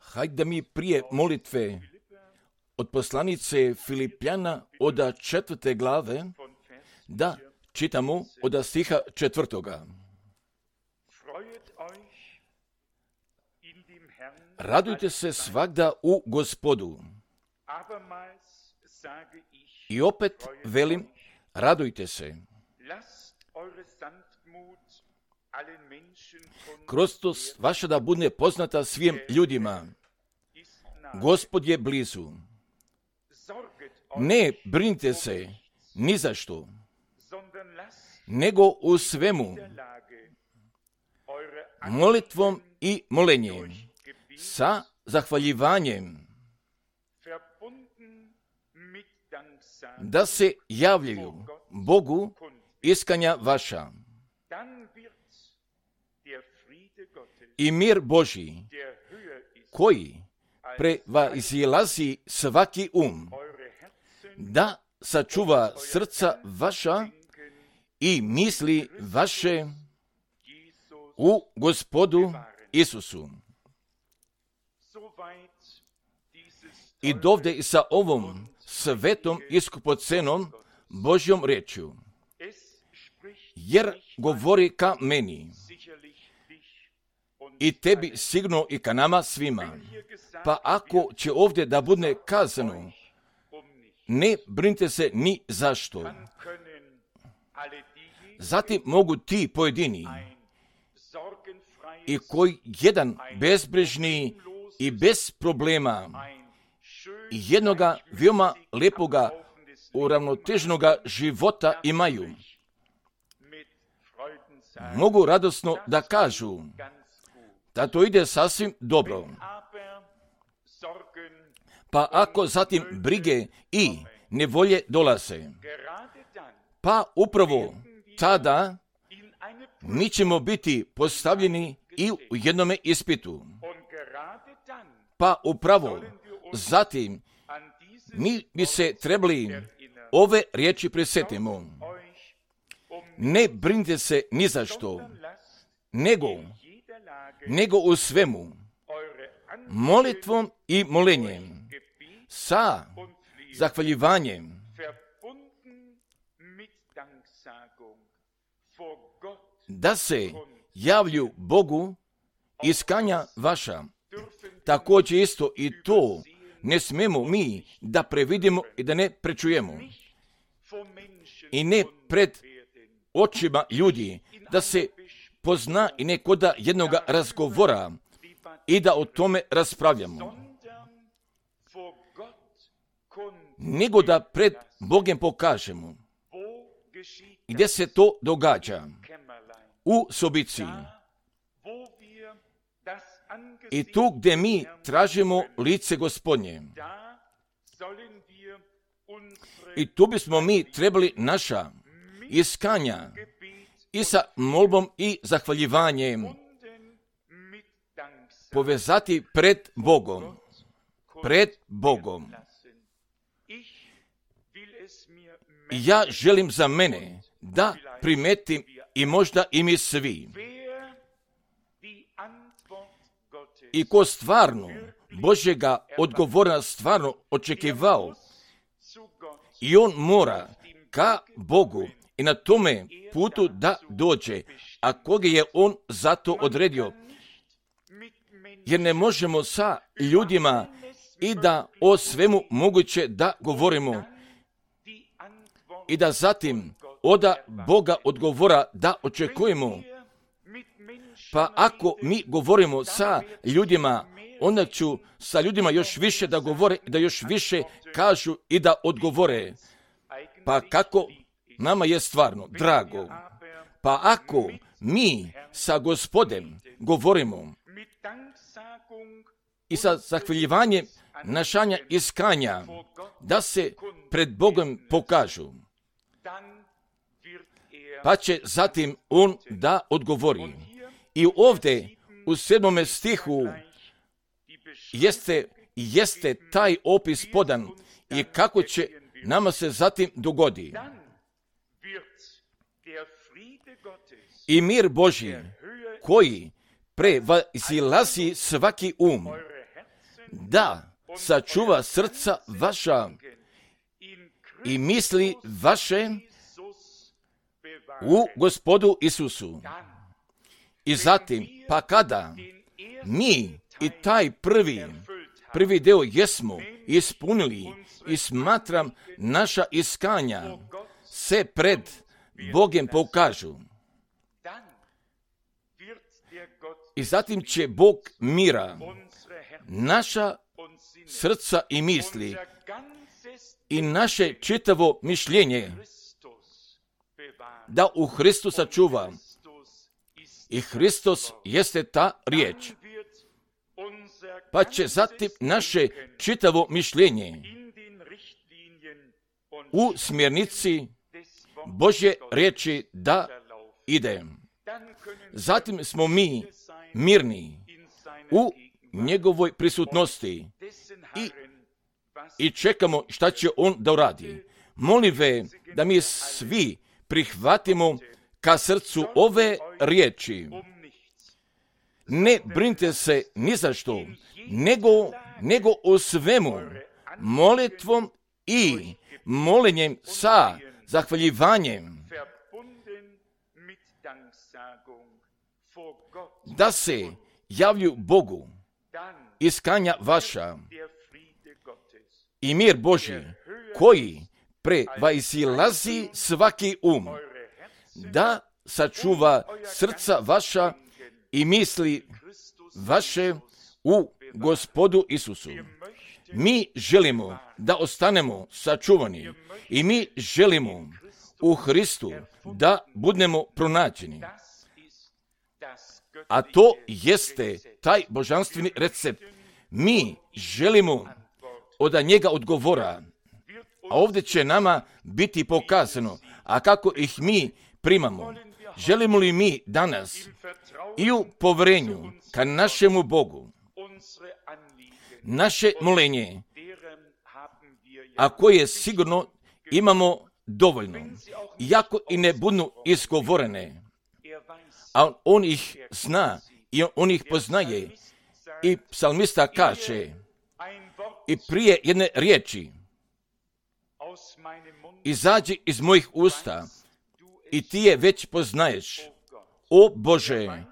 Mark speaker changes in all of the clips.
Speaker 1: Hajde da mi prije molitve od poslanice Filipljana od 4. glave, da čitamo od stiha 4. Radujte se svagda u Gospodu. I opet velim, radujte se. Krostost vaša da bude poznata svim ljudima. Gospod je blizu. Ne brinite se ni za što, nego u svemu molitvom i molenjem sa zahvaljivanjem da se javljaju Bogu iskanja vaša. I mir Božji, koji prevazilazi svaki da sačuva srca vaša i misli vaše u Gospodu Isusu. I dovde i sa ovom svetom iskupocenom Božjom rečju, jer govori ka meni i tebi sigurno i ka nama svima. Pa ako će ovdje da bude kazano, ne brinite se ni zašto. Zatim mogu ti pojedini i koji jedan bezbrižni i bez problema jednoga veoma lepoga uravnoteženoga života imaju, mogu radosno da kažu da to ide sasvim dobro. Pa ako zatim brige i nevolje dolaze, pa upravo tada mi ćemo biti postavljeni i u jednome ispitu. Pa upravo zatim mi bi se trebali ove riječi prisjetimo. Ne brinite se ni za što, nego u svemu molitvom i molenjem sa zahvaljivanjem da se javlju Bogu iskanja vaša. Također isto i to ne smemo mi da previdimo i da ne prečujemo. I ne pred očima ljudi da se pozna i neko da jednoga razgovora i da o tome raspravljamo. Nego da pred Bogom pokažemo gdje se to događa u sobici. I tu gdje mi tražimo lice Gospodnje. I tu bismo mi trebali naša iskanja i sa molbom i zahvaljivanjem povezati pred Bogom. Pred Bogom. Ja želim za mene da primetim i možda i mi svi. I ko stvarno Božjega odgovora stvarno očekivao i on mora ka Bogu i na tome putu da dođe, a koga je on zato odredio. Jer ne možemo sa ljudima i da o svemu moguće da govorimo i da zatim od Boga odgovora da očekujemo. Pa ako mi govorimo sa ljudima, onda ću sa ljudima još više da govore, da još više kažu i da odgovore. Pa kako nama je stvarno drago. Pa ako mi sa Gospodem govorimo i sa zahvaljivanjem našanja iskanja, da se pred Bogom pokažu, pa će zatim on da odgovori. I ovdje u 7. stihu jeste taj opis podan i kako će nama se zatim dogodi. I mir Božji, koji prevazilazi svaki da sačuva srca vaša i misli vaše u Gospodu Isusu. I zatim, pa kada mi i taj prvi deo jesmo ispunili i smatram naša iskanja se pred Bogom pokažu. I zatim će Bog mira naša srca i misli i naše čitavo mišljenje da u Hristu sačuva. I Hristos jeste ta riječ. Pa će zatim naše čitavo mišljenje u smjernici Božje riječi da ide. Zatim smo mi mirni u njegovoj prisutnosti i čekamo šta će on da uradi. Molim ve da mi svi prihvatimo ka srcu ove riječi. Ne brinite se ni za što, nego o svemu molitvom i molenjem sa zahvaljivanjem da se javlju Bogu iskanja vaša i mir Božji koji prevazilazi svaki da sačuva srca vaša i misli vaše u Gospodu Isusu. Mi želimo da ostanemo sačuvani i mi želimo u Hristu da budemo pronađeni. A to jeste taj božanstveni recept. Mi želimo od njega odgovora, a ovdje će nama biti pokazano, a kako ih mi primamo. Želimo li mi danas i u poverenju ka našemu Bogu naše molenje, a koje sigurno imamo dovoljno, iako i ne budu izgovorene, a on ih zna i on ih poznaje. I psalmista kaže i prije jedne riječi izađi iz mojih usta i ti je već poznaješ, o Bože.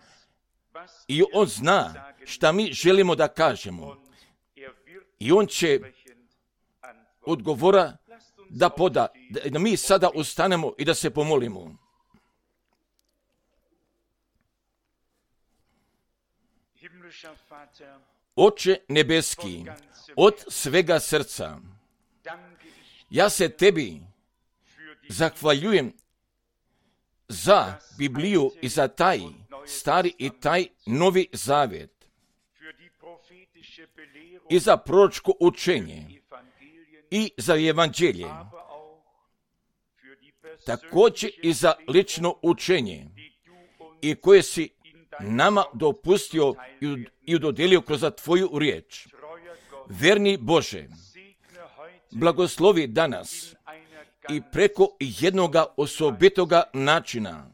Speaker 1: I on zna šta mi želimo da kažemo. I on će odgovora da poda, da mi sada ustanemo i da se pomolimo. Oče nebeski, od svega srca, ja se tebi zahvaljujem za Bibliju i za taj stari i taj novi zavjet i za proročko učenje i za evanđelje, također i za lično učenje i koje si nama dopustio i dodijelio kroz tvoju riječ. Verni Bože, blagoslovi danas i preko jednoga osobitoga načina.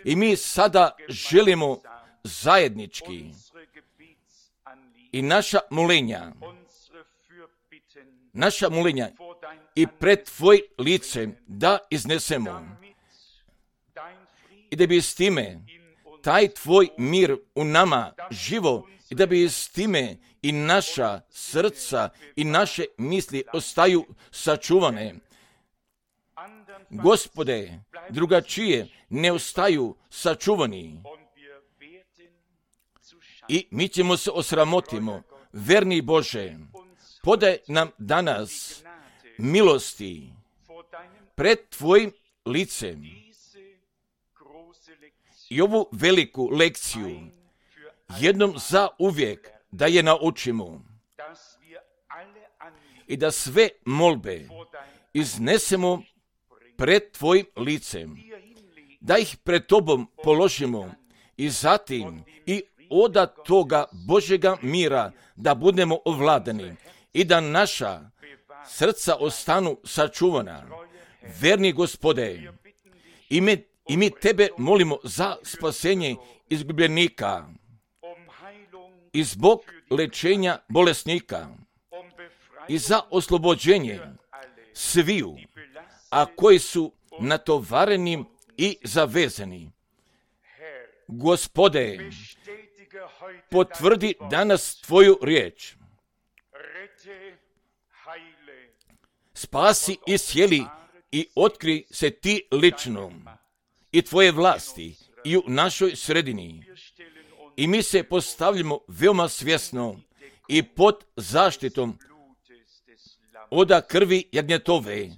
Speaker 1: I mi sada želimo zajednički i naša molenja i pred tvoj lice da iznesemo. I da bi s time taj tvoj mir u nama živo i da bi s time i naša srca i naše misli ostaju sačuvane. Gospode, drugačije ne ostaju sačuvani. I mi ćemo se osramotimo. Verni Bože, podaj nam danas milosti pred tvojim licem i ovu veliku lekciju jednom za uvijek da je naučimo i da sve molbe iznesemo pred tvojim licem, da ih pred tobom položimo i zatim i od toga Božjega mira da budemo ovladani i da naša srca ostanu sačuvana. Verni Gospode, i mi tebe molimo za spasenje izgubljenika i zbog lečenja bolesnika i za oslobođenje sviju, a koji su natovareni i zavezani. Gospode, potvrdi danas tvoju riječ. Spasi i sjeli i otkri se ti lično i tvoje vlasti i u našoj sredini. I mi se postavljamo veoma svjesno i pod zaštitom oda krvi jagnjetove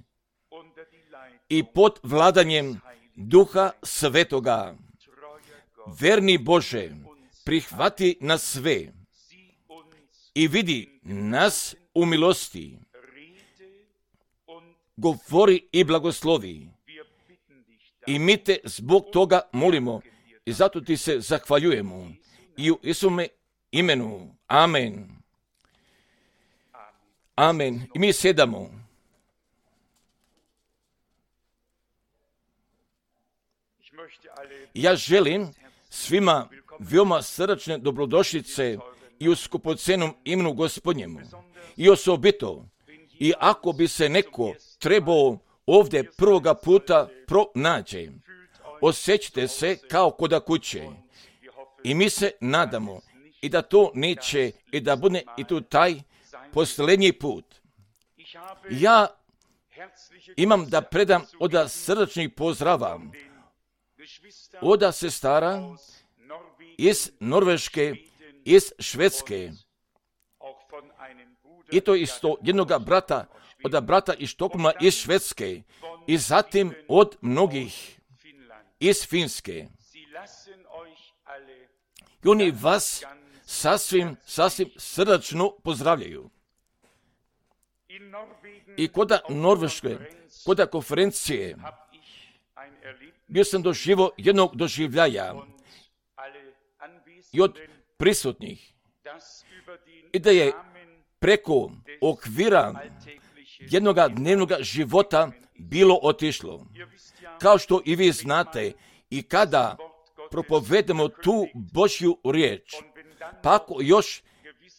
Speaker 1: i pod vladanjem Duha Svetoga. Verni Bože, prihvati nas sve i vidi nas u milosti. Govori i blagoslovi. I mi te zbog toga molimo i zato ti se zahvaljujemo. I u Isume imenu. Amen. Amen. I mi sjedamo. Ja želim svima veoma srdačne dobrodošlice i u skupocenom imenu Gospodnjemu. I osobito, i ako bi se neko trebao ovdje prvoga puta pronađe, osjećate se kao koda kuće. I mi se nadamo i da to neće i da bude i tu taj posljednji put. Ja imam da predam oda srdačnih pozdrava oda sestara iz Norveške, iz Švedske. I to isto jednoga brata, oda brata iz Štokholma, iz Švedske. I zatim od mnogih iz Finske. I oni vas sasvim srdačno pozdravljaju. I koda Norveške, koda konferencije, bio sam doživio jednog doživljaja i od prisutnih i da je preko okvira jednoga dnevnoga života bilo otišlo. Kao što i vi znate, i kada propovedemo tu Božju riječ, pa ako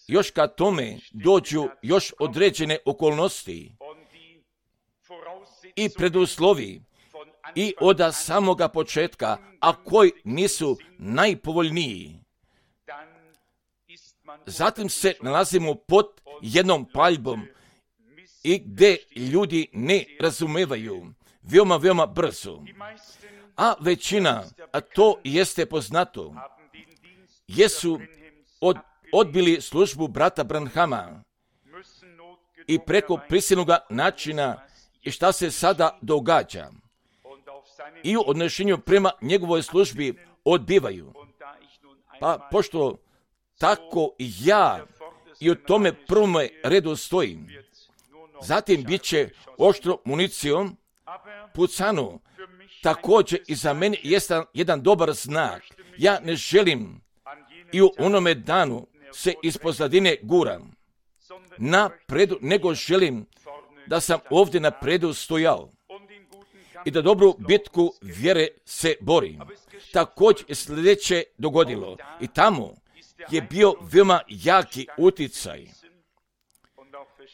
Speaker 1: još ka tome dođu još određene okolnosti i preduslovi i od samoga početka, a koji nisu najpovoljniji, zatim se nalazimo pod jednom paljbom i gdje ljudi ne razumevaju veoma brzo. A većina, a to jeste poznato, jesu odbili službu brata Branhama i preko prisilnog načina i šta se sada događa. I u odnošenju prema njegovoj službi odbivaju. Pa pošto tako ja i u tome prvome redu stojim, zatim bit će oštro municijom pucano. Također i za mene jeste jedan dobar znak. Ja ne želim i u onome danu se iz pozadine guram napredu, nego želim da sam ovdje napredu stojao i da dobru bitku vjere se borim. Također je sljedeće dogodilo i tamo je bio veoma jaki uticaj.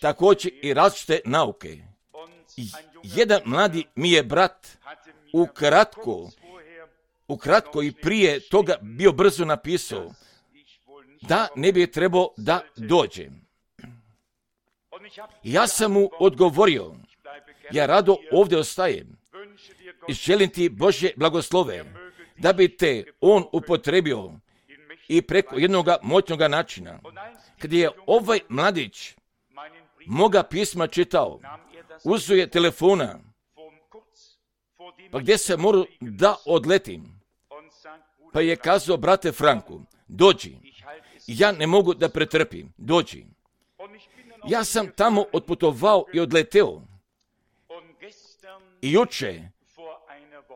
Speaker 1: Također i različite nauke. Jedan mladi mi je brat ukratko i prije toga bio brzo napisao da ne bi trebao da dođe. Ja sam mu odgovorio, ja rado ovdje ostajem i želim ti Božje blagoslove, da bi te on upotrebio i preko jednog moćnog načina. Kad je ovaj mladić moga pisma čitao, uzeo je telefona, pa gdje se moram da odletim, pa je kazao, brate Franku, dođi, ja ne mogu da pretrpim, dođi. Ja sam tamo otputovao i odleteo. I juče,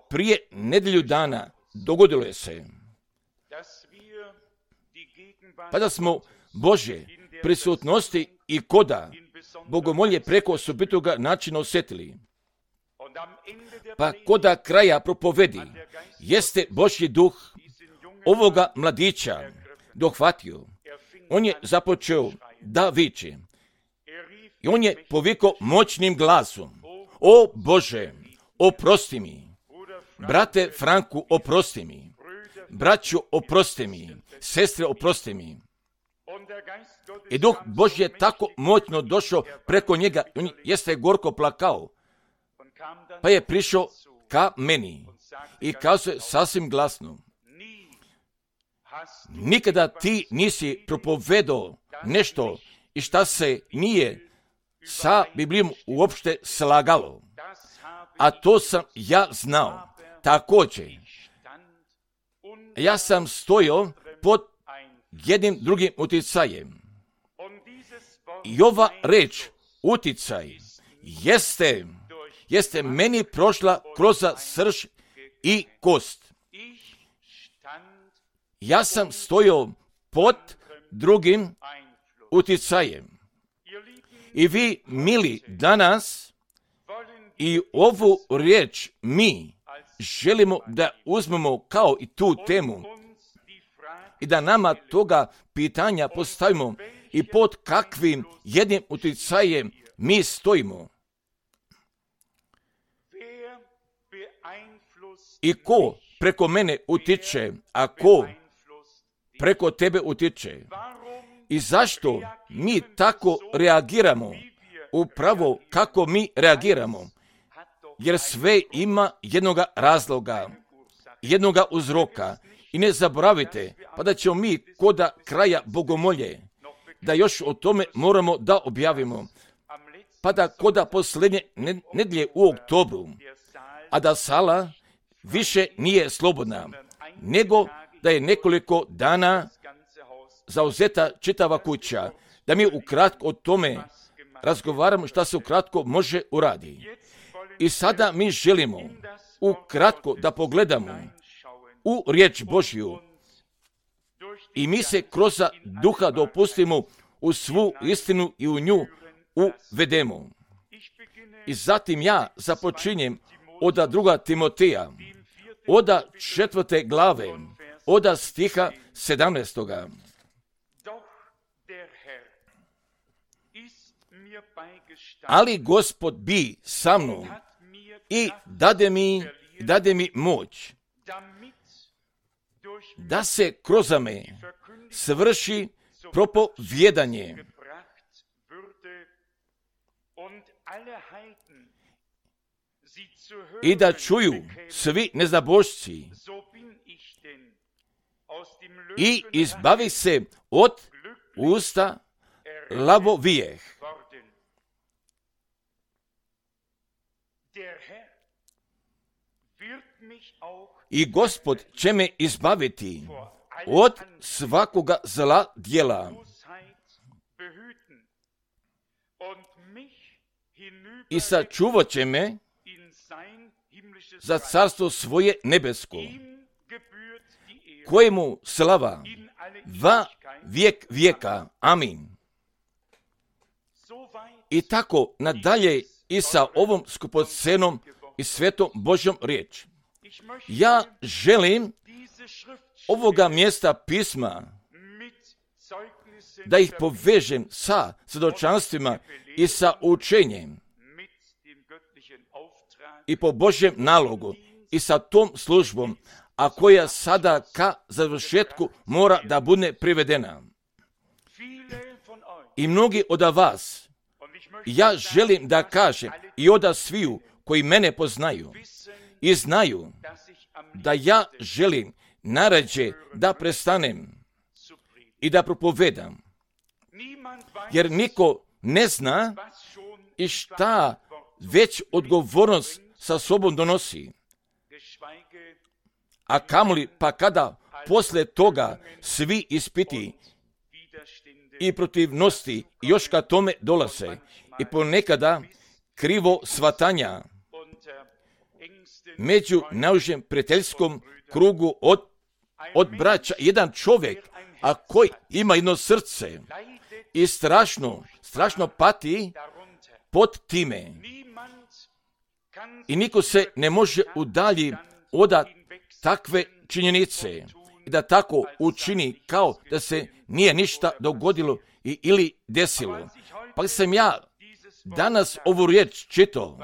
Speaker 1: prije nedjelju dana, dogodilo je se, pa da smo Božje prisutnosti i koda bogomolje preko osobitoga načina osjetili. Pa koda kraja propovedi, jeste Božji duh ovoga mladića dohvatio on je započeo da viče. I on je povikao moćnim glasom: o Bože, oprosti mi. Brate Franku, oprosti mi. Braćo, oprosti mi. Sestre, oprosti mi. I Duh Božji je tako moćno došao preko njega. On jeste gorko plakao. Pa je prišao ka meni i kazao je sasvim glasno: nikada ti nisi propovedao nešto i šta se nije sa Biblijom uopšte slagalo. A to sam ja znao. Također, ja sam stojao pod jednim drugim utjecajem. I ova reč, utjecaj, jeste meni prošla kroz srž i kost. Ja sam stojao pod drugim utjecajem. I vi, mili, danas i ovu riječ mi želimo da uzmemo kao i tu temu i da nama toga pitanja postavimo i pod kakvim jednim utjecajem mi stojimo. I ko preko mene utiče, a ko preko tebe utiče? I zašto mi tako reagiramo? Upravo kako mi reagiramo. Jer sve ima jednoga razloga, jednoga uzroka. I ne zaboravite, pa da ćemo mi koda kraja bogomolje, da još o tome moramo da objavimo. Pa da koda posljednje nedjelje u oktobru, a da sala više nije slobodna, nego da je nekoliko dana zauzeta čitava kuća, da mi ukratko o tome razgovaramo šta se ukratko može uraditi. I sada mi želimo ukratko da pogledamo u riječ Božju i mi se kroz duha dopustimo u svu istinu i u nju uvedemo. I zatim ja započinjem od 2. Timoteja, od 4. glave, od stiha 17. Ali Gospod bi sa mnom i dade mi moć da se kroz me svrši propovjedanje i da čuju svi nezabožci i izbavi se od usta lavovijeh. I Gospod će me izbaviti od svakoga zla djela i sačuvat će me za carstvo svoje nebesko, kojemu slava va vijek vijeka. Amin. I tako nadalje i sa ovom skupocenom i svetom Božjom riječ. Ja želim ovoga mjesta pisma da ih povežem sa svjedočanstvima i sa učenjem i po Božjem nalogu i sa tom službom, a koja sada ka završetku mora da bude privedena. I mnogi od vas, ja želim da kažem i od sviju koji mene poznaju i znaju da ja želim narađe da prestanem i da propovedam. Jer niko ne zna i šta već odgovornost sa sobom donosi. A kamoli pa kada posle toga svi ispiti i protivnosti još ka tome dolaze i ponekada krivo shvatanja među naužem prijateljskom krugu od braća, jedan čovjek, a koji ima jedno srce i strašno pati pod time. I niko se ne može udalji od takve činjenice. i da tako učini kao da se nije ništa dogodilo ili desilo. Pa sam ja danas ovu riječ čitao,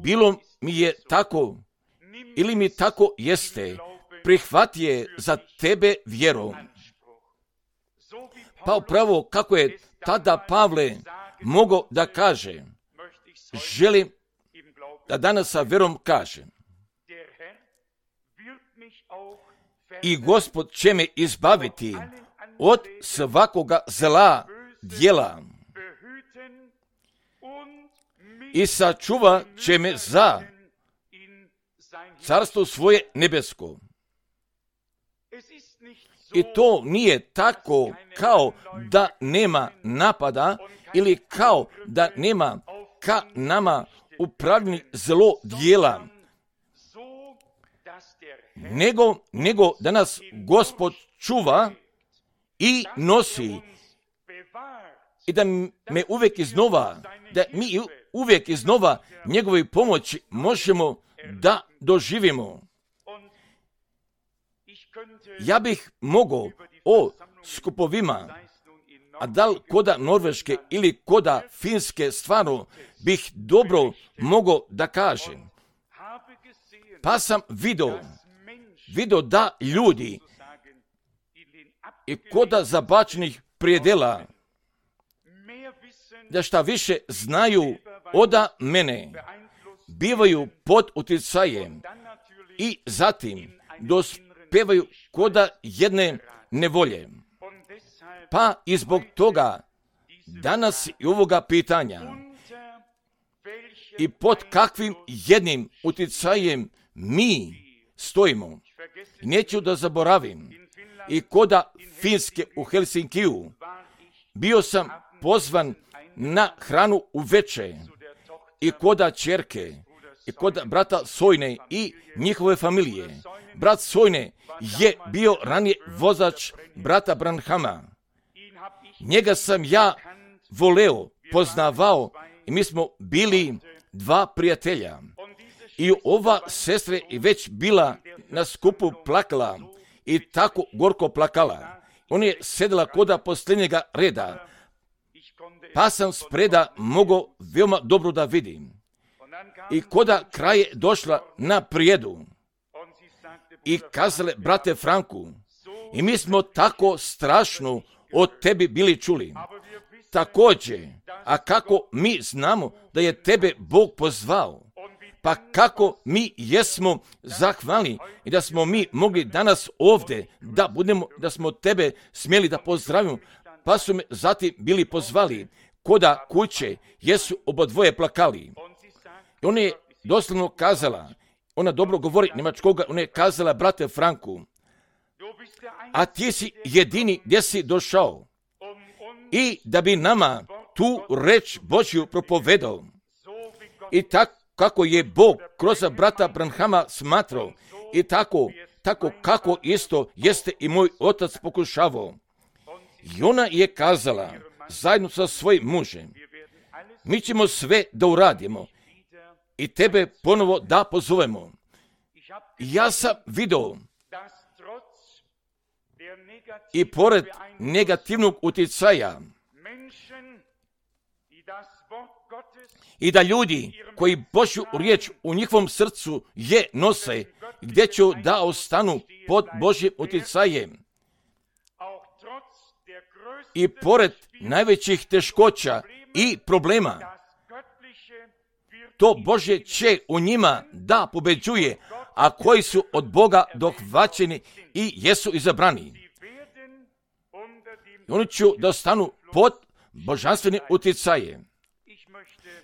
Speaker 1: bilo mi je tako ili mi tako jeste, prihvati je za tebe vjerom. Pa upravo kako je tada Pavle mogao da kaže, želim da danas sa vjerom kažem, i Gospod će me izbaviti od svakoga zla djela i sačuva će me za carstvo svoje nebesko. I to nije tako kao da nema napada ili kao da nema ka nama upravljeni zlo djela, nego da nas Gospod čuva i nosi i da me uvijek iznova, da mi uvijek iznova njegove pomoći možemo da doživimo. Ja bih mogao o skupovima, a da li koda Norveške ili koda Finske, stvarno bih dobro mogao da kažem. Pa sam vidio da ljudi i koda zabačenih prijedela, da šta više znaju oda mene, bivaju pod utjecajem i zatim dospevaju koda jedne nevolje. Pa i zbog toga danas i ovoga pitanja i pod kakvim jednim utjecajem mi stojimo. Neću da zaboravim, i koda Finske u Helsinkiju bio sam pozvan na hranu uveče i koda ćerke i koda brata Sojne i njihove familije. Brat Sojne je bio ranije vozač brata Branhama. Njega sam ja voleo, poznavao i mi smo bili dva prijatelja. I ova sestra je već bila na skupu plakala i tako gorko plakala. Ona je sedela koda posljednjega reda, pa sam spreda mogao veoma dobro da vidim. I koda kraj je došla na prijedu i kazale, brate Franku, i mi smo tako strašno od tebi bili čuli. Također, a kako mi znamo da je tebe Bog pozvao, pa kako mi jesmo zahvalni i da smo mi mogli danas ovdje da budemo, da smo tebe smjeli da pozdravimo, pa su me zatim bili pozvali koda kuće, jesu obodvoje plakali. I ona je doslovno kazala, ona dobro govori njemačkoga, ona je kazala, brate Franku, a ti si jedini gdje si došao i da bi nama tu reč Božju propovedao. I tako kako je Bog kroz brata Branhama smatrao i tako kako isto jeste i moj otac pokušavao. I ona je kazala zajedno sa svojim mužem, mi ćemo sve da uradimo i tebe ponovo da pozovemo. Ja sam vidio i pored negativnog utjecaja i da ljudi koji Božju riječ u njihovom srcu je nose, gdje će da ostanu pod Božjim utjecajem. I pored najvećih teškoća i problema, to Božje će u njima da pobeđuje, a koji su od Boga dohvaćeni i jesu izabrani. I oni će da ostanu pod božanstvenim utjecajem.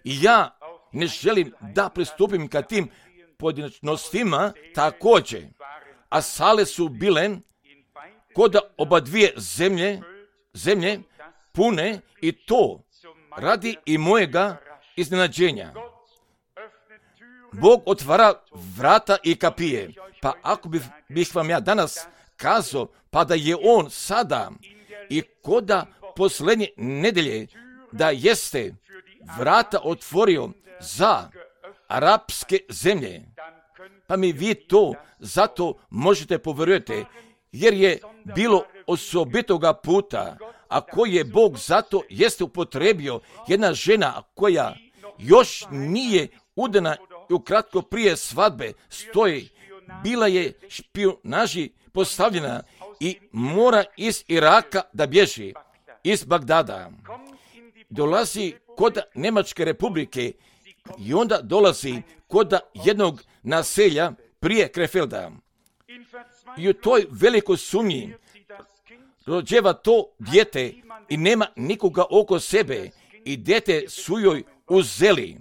Speaker 1: I ja ne želim da pristupim ka tim pojedinačnostima također, a sale su bile koda oba dvije zemlje pune i to radi i mojega iznenađenja. Bog otvara vrata i kapije, pa ako bih vam ja danas kazao, pa da je on sada i koda posljednje nedelje da jeste vrata otvorio za arapske zemlje, pa mi vi to zato možete povjerujete jer je bilo osobitoga puta, a koji je Bog zato jeste upotrebio jedna žena koja još nije udana i ukratko prije svadbe stoji, bila je špijunaži postavljena i mora iz Iraka da bježi, iz Bagdada. Dolazi kod Njemačke republike i onda dolazi kod jednog naselja prije Krefelda. I u toj velikoj sumnji rođeva to dijete i nema nikoga oko sebe i dijete su joj uzeli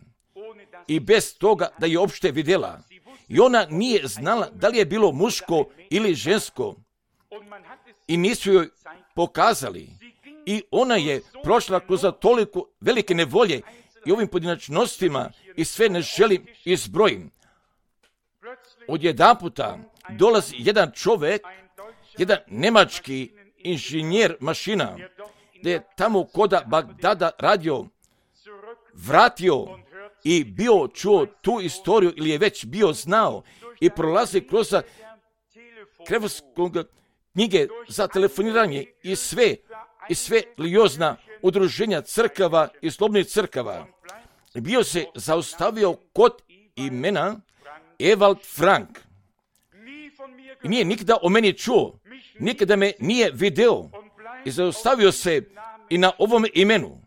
Speaker 1: i bez toga da je uopšte vidjela. I ona nije znala da li je bilo muško ili žensko i nisu joj pokazali. I ona je prošla kroz toliko velike nevolje i ovim pojedinačnostima i sve ne želim izbrojim. Odjedanputa dolazi jedan čovjek, jedan njemački inženjer mašina, da je tamo koda Bagdada radio, vratio i bio čuo tu istoriju ili je već bio znao i prolazi kroz krevskog knjige za telefoniranje i sve religiozna udruženja crkava i slobodnih crkava. Bio se zaustavio kod imena Ewald Frank. I nije nikada o meni čuo, nikada me nije video i zaustavio se i na ovom imenu.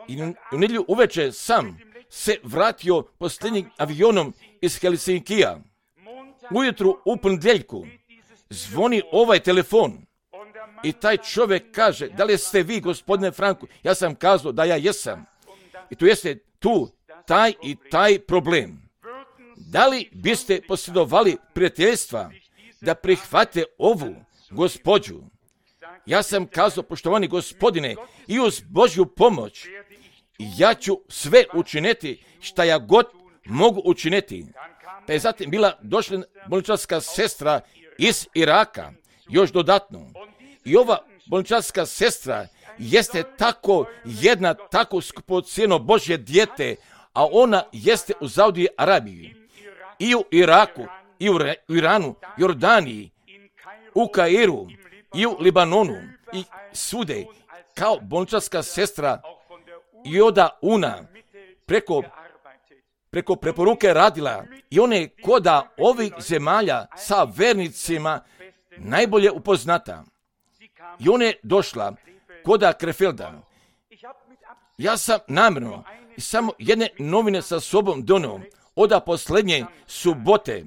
Speaker 1: I u nedjelju uveče sam se vratio posljednjim avionom iz Helsinkija. Ujutru u ponedjeljku zvoni ovaj telefon i taj čovjek kaže, da li ste vi, gospodine Franku? Ja sam kazao da ja jesam. I tu jeste taj i taj problem. Da li biste posjedovali prijateljstva da prihvate ovu gospođu? Ja sam kazao, poštovani gospodine, i uz Božju pomoć ja ću sve učiniti šta ja god mogu učiniti. Pa je zatim bila došla bolničarska sestra iz Iraka, još dodatno. I ova bolničarska sestra jeste tako skupocjeno Božje dijete, a ona jeste u Saudiji Arabiji, i u Iraku, i u Iranu, Jordaniji, u Kairu, i u Libanonu, i svude, kao bolničarska sestra Joda Una, preko preporuke radila i ona je koda ovih zemalja sa vernicima najbolje upoznata. I ona je došla koda Krefelda. Ja sam namjerno i samo jedne novine sa sobom donio od posljednje subote,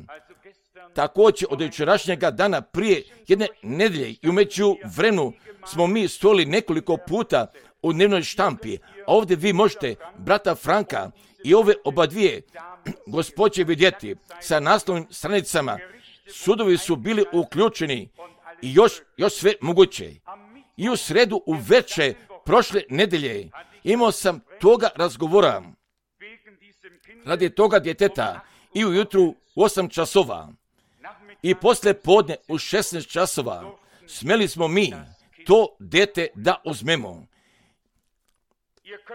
Speaker 1: također od jučerašnjega dana prije jedne nedjelje i u međuvremenu smo mi stojali nekoliko puta u dnevnoj štampi, a ovdje vi možete brata Franka i ove oba dvije gospođe vidjeti sa naslovnim stranicama. Sudovi su bili uključeni i još sve moguće. I u sredu uveče prošle nedjelje imao sam toga razgovora radi toga djeteta i ujutru u 8 časova i poslije podne u 16 časova smjeli smo mi to dete da uzmemo.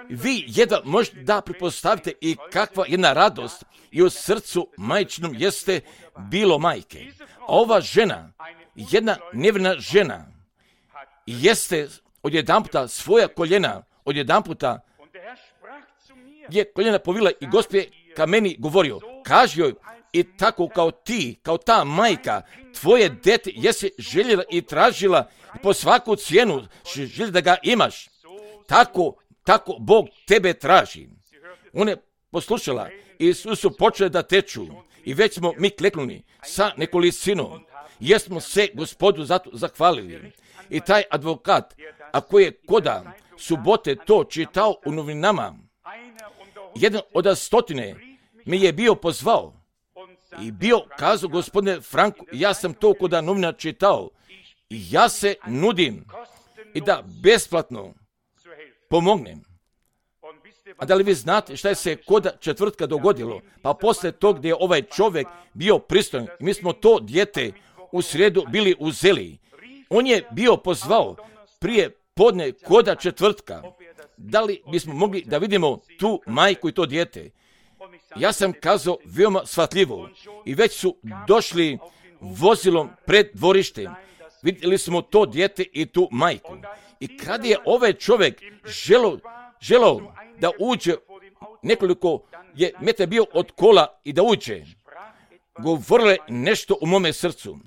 Speaker 1: Vi jedva možete da pretpostavite i kakva jedna radost i u srcu majčinom jeste bilo majke. A ova žena, jedna nevjerna žena, jeste odjedanputa svoja koljena, odjedanputa je koljena povila i Gospod je ka meni govorio, kaži joj i tako kao ti, kao ta majka, tvoje dete jesi željela i tražila po svaku cijenu, želi da ga imaš. Tako Bog tebe traži. Ona je poslušala i su počele da teču i već smo mi kleknuli sa nekolicinom. Jesmo se Gospodu zato zahvalili. I taj advokat, ako je koda subote to čitao u novinama, jedan od 100 mi je bio pozvao i bio kazao, gospodine Franku, ja sam to koda novina čitao i ja se nudim i da besplatno pomognem. A da li vi znate šta je se koda četvrtka dogodilo? Pa poslije tog gdje je ovaj čovjek bio pristojan i mi smo to dijete u srijedu bili uzeli. On je bio pozvao prije podne koda četvrtka. Da li bismo mogli da vidimo tu majku i to dijete? Ja sam kazao veoma shvatljivo i već su došli vozilom pred dvorištem. Vidjeli smo to dijete i tu majku. I kad je ovaj čovjek želao da uđe, nekoliko je metar bio od kola i da uđe, govorilo je nešto u mome srcu.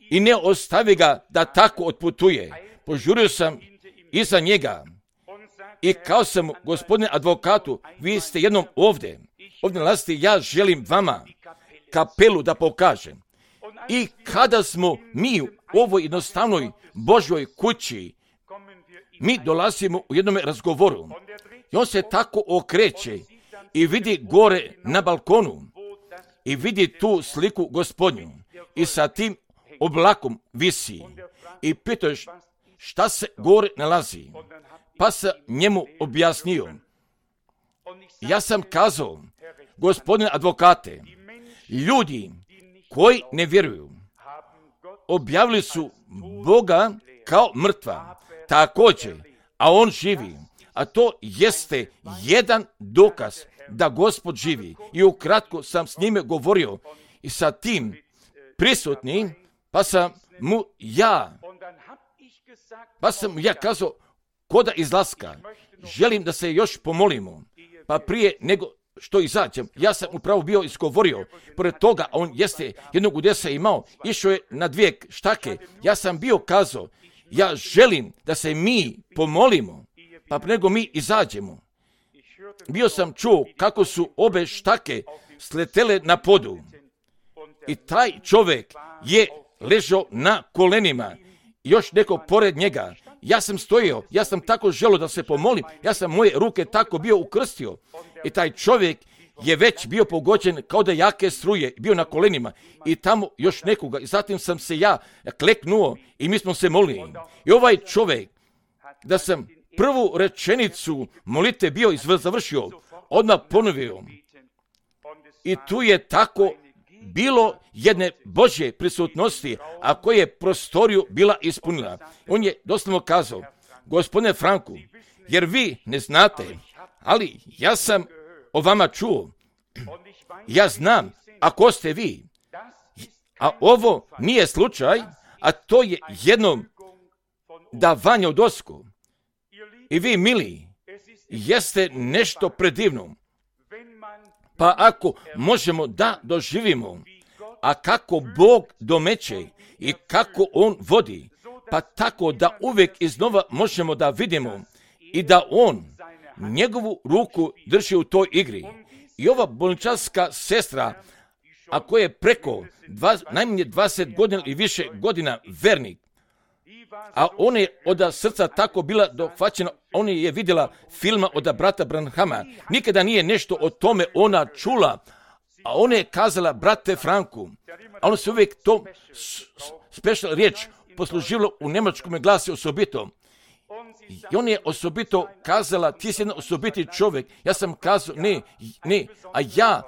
Speaker 1: I ne ostavi ga da tako otputuje. Požurio sam iza njega i kao sam, gospodine advokatu, vi ste jednom ovdje nalazite, ja želim vama kapelu da pokažem. I kada smo mi u ovoj jednostavnoj Božjoj kući, mi dolazimo u jednom razgovoru i on se tako okreće i vidi gore na balkonu i vidi tu sliku Gospodnju i sa tim oblakom visi i pitaš šta se gore nalazi. Pa sam njemu objasnio. Ja sam kazao, gospodine advokate, ljudi koji ne vjeruju objavili su Boga kao mrtva, također, a on živi. A to jeste jedan dokaz da Gospod živi. I ukratko sam s njime govorio i sa tim prisutnim, pa sam mu ja kazao, koda izlaska, želim da se još pomolimo, pa prije nego što izađem, ja sam upravo bio izgovorio, pored toga, on jeste jednog udesa imao, išao je na 2 štake, ja sam bio kazao, ja želim da se mi pomolimo, pa nego mi izađemo. Bio sam čuo kako su obe štake sletele na podu i taj čovjek je ležao na kolenima, još neko pored njega. Ja sam stojio, ja sam tako želio da se pomolim, ja sam moje ruke tako bio ukrstio i taj čovjek je već bio pogođen kao da jake struje, bio na kolenima i tamo još nekoga i zatim sam se ja kleknuo i mi smo se molili. I ovaj čovjek, da sam prvu rečenicu molite bio završio, odmah ponovio i tu je tako bilo jedne Božje prisutnosti, a koje je prostoriju bila ispunila. On je doslovno kazao, gospodine Franku, jer vi ne znate, ali ja sam o vama čuo. Ja znam, ako ste vi, a ovo nije slučaj, a to je jedno davanje od osku. I vi, mili, jeste nešto predivno. Pa ako možemo da doživimo, a kako Bog domeće i kako On vodi, pa tako da uvijek iznova možemo da vidimo i da On njegovu ruku drži u toj igri. I ova bolničarska sestra, ako je preko najmanje 20 godina i više godina vernik, a ona je od srca tako bila dohvaćena, ona je vidjela filma od brata Branhama. Nikada nije nešto o tome ona čula, a ona je kazala brate Franku, a ona se uvijek to special riječ poslužila u njemačkom glasi osobito. I on je osobito kazala, ti si jedan osobiti čovjek. Ja sam kazao, ne, a ja,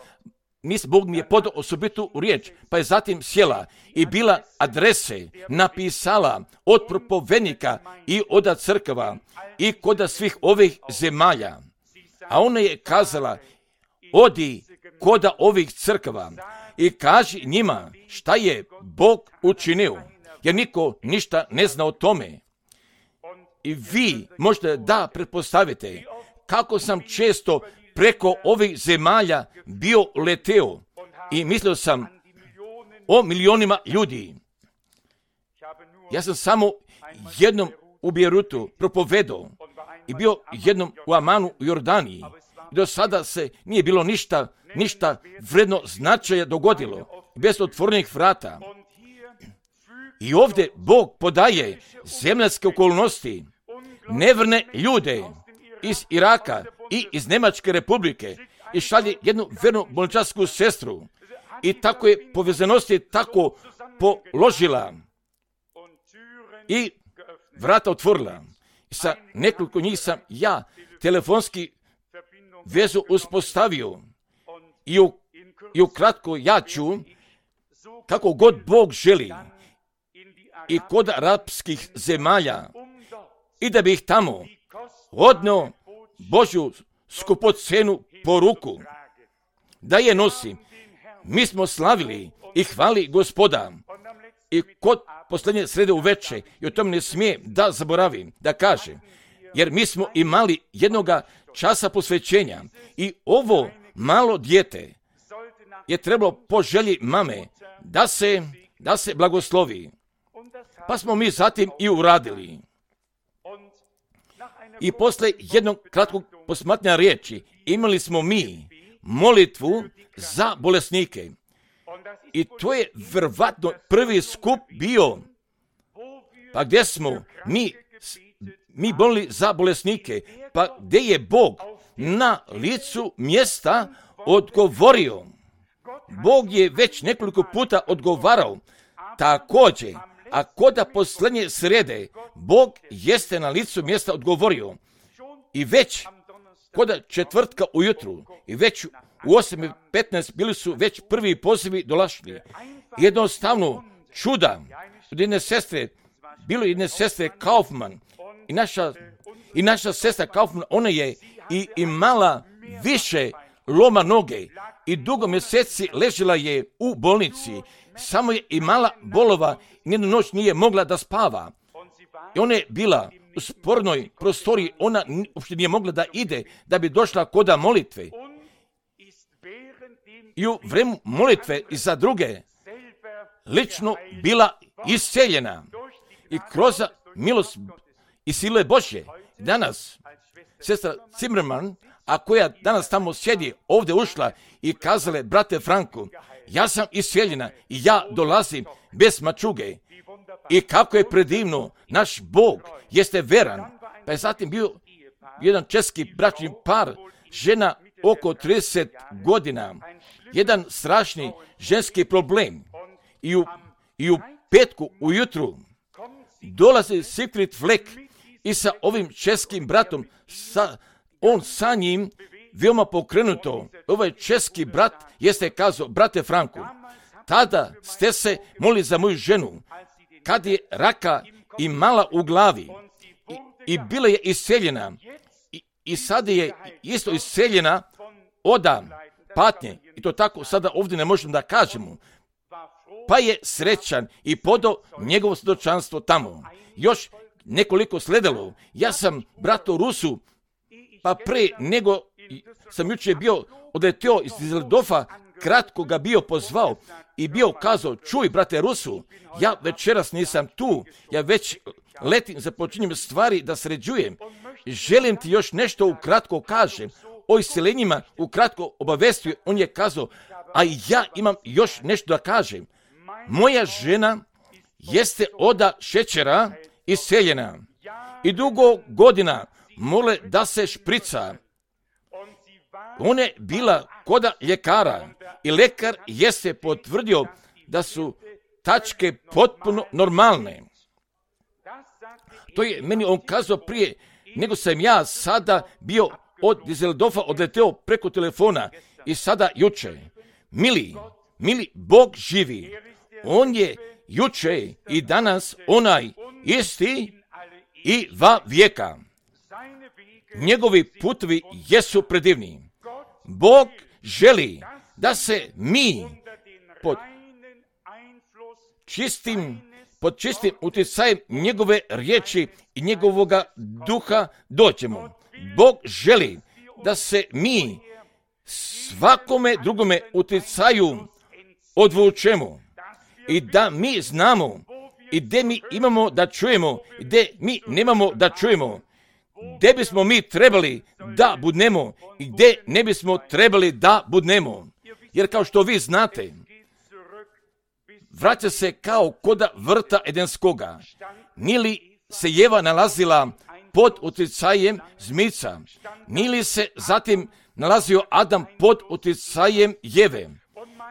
Speaker 1: Bog mi je podao osobitu riječ, pa je zatim sjela i bila adrese napisala od propovednika i od crkava i kod svih ovih zemalja. A ona je kazala, odi kod ovih crkava i kaži njima šta je Bog učinio, jer niko ništa ne zna o tome. I vi možda da pretpostavite kako sam često preko ovih zemalja bio leteo i mislio sam o milionima ljudi. Ja sam samo jednom u Beirutu propovedao i bio jednom u Amanu u Jordaniji. Do sada se nije bilo ništa vredno značaja dogodilo, bez otvorenih vrata. I ovdje Bog podaje zemljske okolnosti, neverne ljude iz Iraka i iz Njemačke republike i šalje jednu vernu bolničarsku sestru i tako je povezanosti tako položila i vrata otvorila. I sa nekoliko njih sam ja telefonski vezu uspostavio i ukratko ja ću, kako god Bog želi, i kod arapskih zemalja i da bih tamo odnio Božju skupocenu poruku, da je nosim. Mi smo slavili i hvali Gospoda i kod posljednje srede uveče, i o tom ne smije da zaboravim, da kaže, jer mi smo imali jednoga časa posvećenja i ovo malo dijete je trebalo po želji mame da se blagoslovi. Pa smo mi zatim i uradili. I posle jednog kratkog posmatranja riječi imali smo mi molitvu za bolesnike. I to je verovatno prvi skup bio, pa gdje smo mi molili za bolesnike, pa gdje je Bog na licu mjesta odgovorio. Bog je već nekoliko puta odgovarao također, a koda posljednje srede Bog jeste na licu mjesta odgovorio. I već koda četvrtka ujutru i već u 8:15 bili su već prvi pozivi dolašli. Jednostavno čuda od jedne sestre, bilo jedne sestre Kaufman i naša sestra Kaufman, ona je i imala više loma noge i dugo mjeseci ležela je u bolnici, samo je imala bolova i nijednu noć nije mogla da spava. I ona je bila u spornoj prostoriji, ona uopšte nije mogla da ide da bi došla koda molitve. I u vremenu molitve i za druge lično bila isceljena i kroz milost i sile Božje. Danas sestra Zimmerman, a koja danas tamo sjedi, ovdje ušla i kazale, brate Franku, ja sam isceljena i ja dolazim bez mačuge. I kako je predivno, naš Bog jeste veran. Pa je zatim bio jedan česki bračni par, žena oko 30 godina, jedan strašni ženski problem. I u petku ujutru dolazi Siegfried Fleck i sa ovim českim bratom, on sa njim veoma pokrenuto. Ovaj česki brat jeste kazao, brate Franku, tada ste se molili za moju ženu, kad je raka imala u glavi i bila je isceljena i sada je isto isceljena od patnje. I to tako sada ovdje ne možemo da kažemo. Pa je srećan i podao njegovo svjedočanstvo tamo. Još nekoliko sledalo. Ja sam bratu Rusu, pa pre nego sam jučer bio odletio iz Düsseldorfa, kratko ga bio pozvao i bio kazao, čuj brate Rusu, ja večeras nisam tu, ja već letim, započinjem stvari da sređujem. Želim ti još nešto ukratko kažem. O isceljenjima ukratko obavestio, on je kazao, a ja imam još nešto da kažem. Moja žena jeste od šećera isceljena i dugo godina mole da se šprica. Ona je bila koda ljekara i lekar jeste potvrdio da su tačke potpuno normalne. To je meni on kazao prije nego sam ja sada bio od Düsseldorfa odleteo preko telefona i sada juče. Mili, Bog živi. On je juče i danas onaj isti i va vijeka. Njegovi putovi jesu predivni. Bog želi da se mi pod čistim utjecajem njegove riječi i njegovoga duha dođemo. Bog želi da se mi svakome drugome utjecaju odvučemo i da mi znamo i gdje mi imamo da čujemo i gdje mi nemamo da čujemo, gdje bismo mi trebali da budnemo i gdje ne bismo trebali da budnemo. Jer kao što vi znate, vraća se kao koda vrta Edenskoga. Nili se Jeva nalazila pod utjecajem zmica, nili se zatim nalazio Adam pod utjecajem Jeve.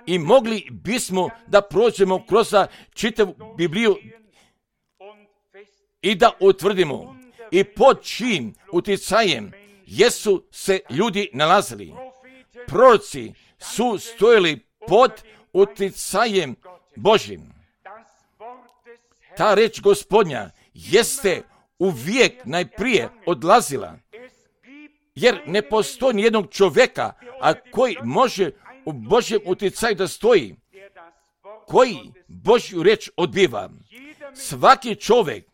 Speaker 1: I mogli bismo da prođemo kroz čitavu Bibliju i da utvrdimo i pod čijim utjecajem jesu se ljudi nalazili. Proroci su stojili pod utjecajem Božjim. Ta reč Gospodnja jeste uvijek najprije odlazila, jer ne postoji nijednog čovjeka, a koji može u Božjem utjecaju da stoji, koji Božju riječ odbiva. Svaki čovjek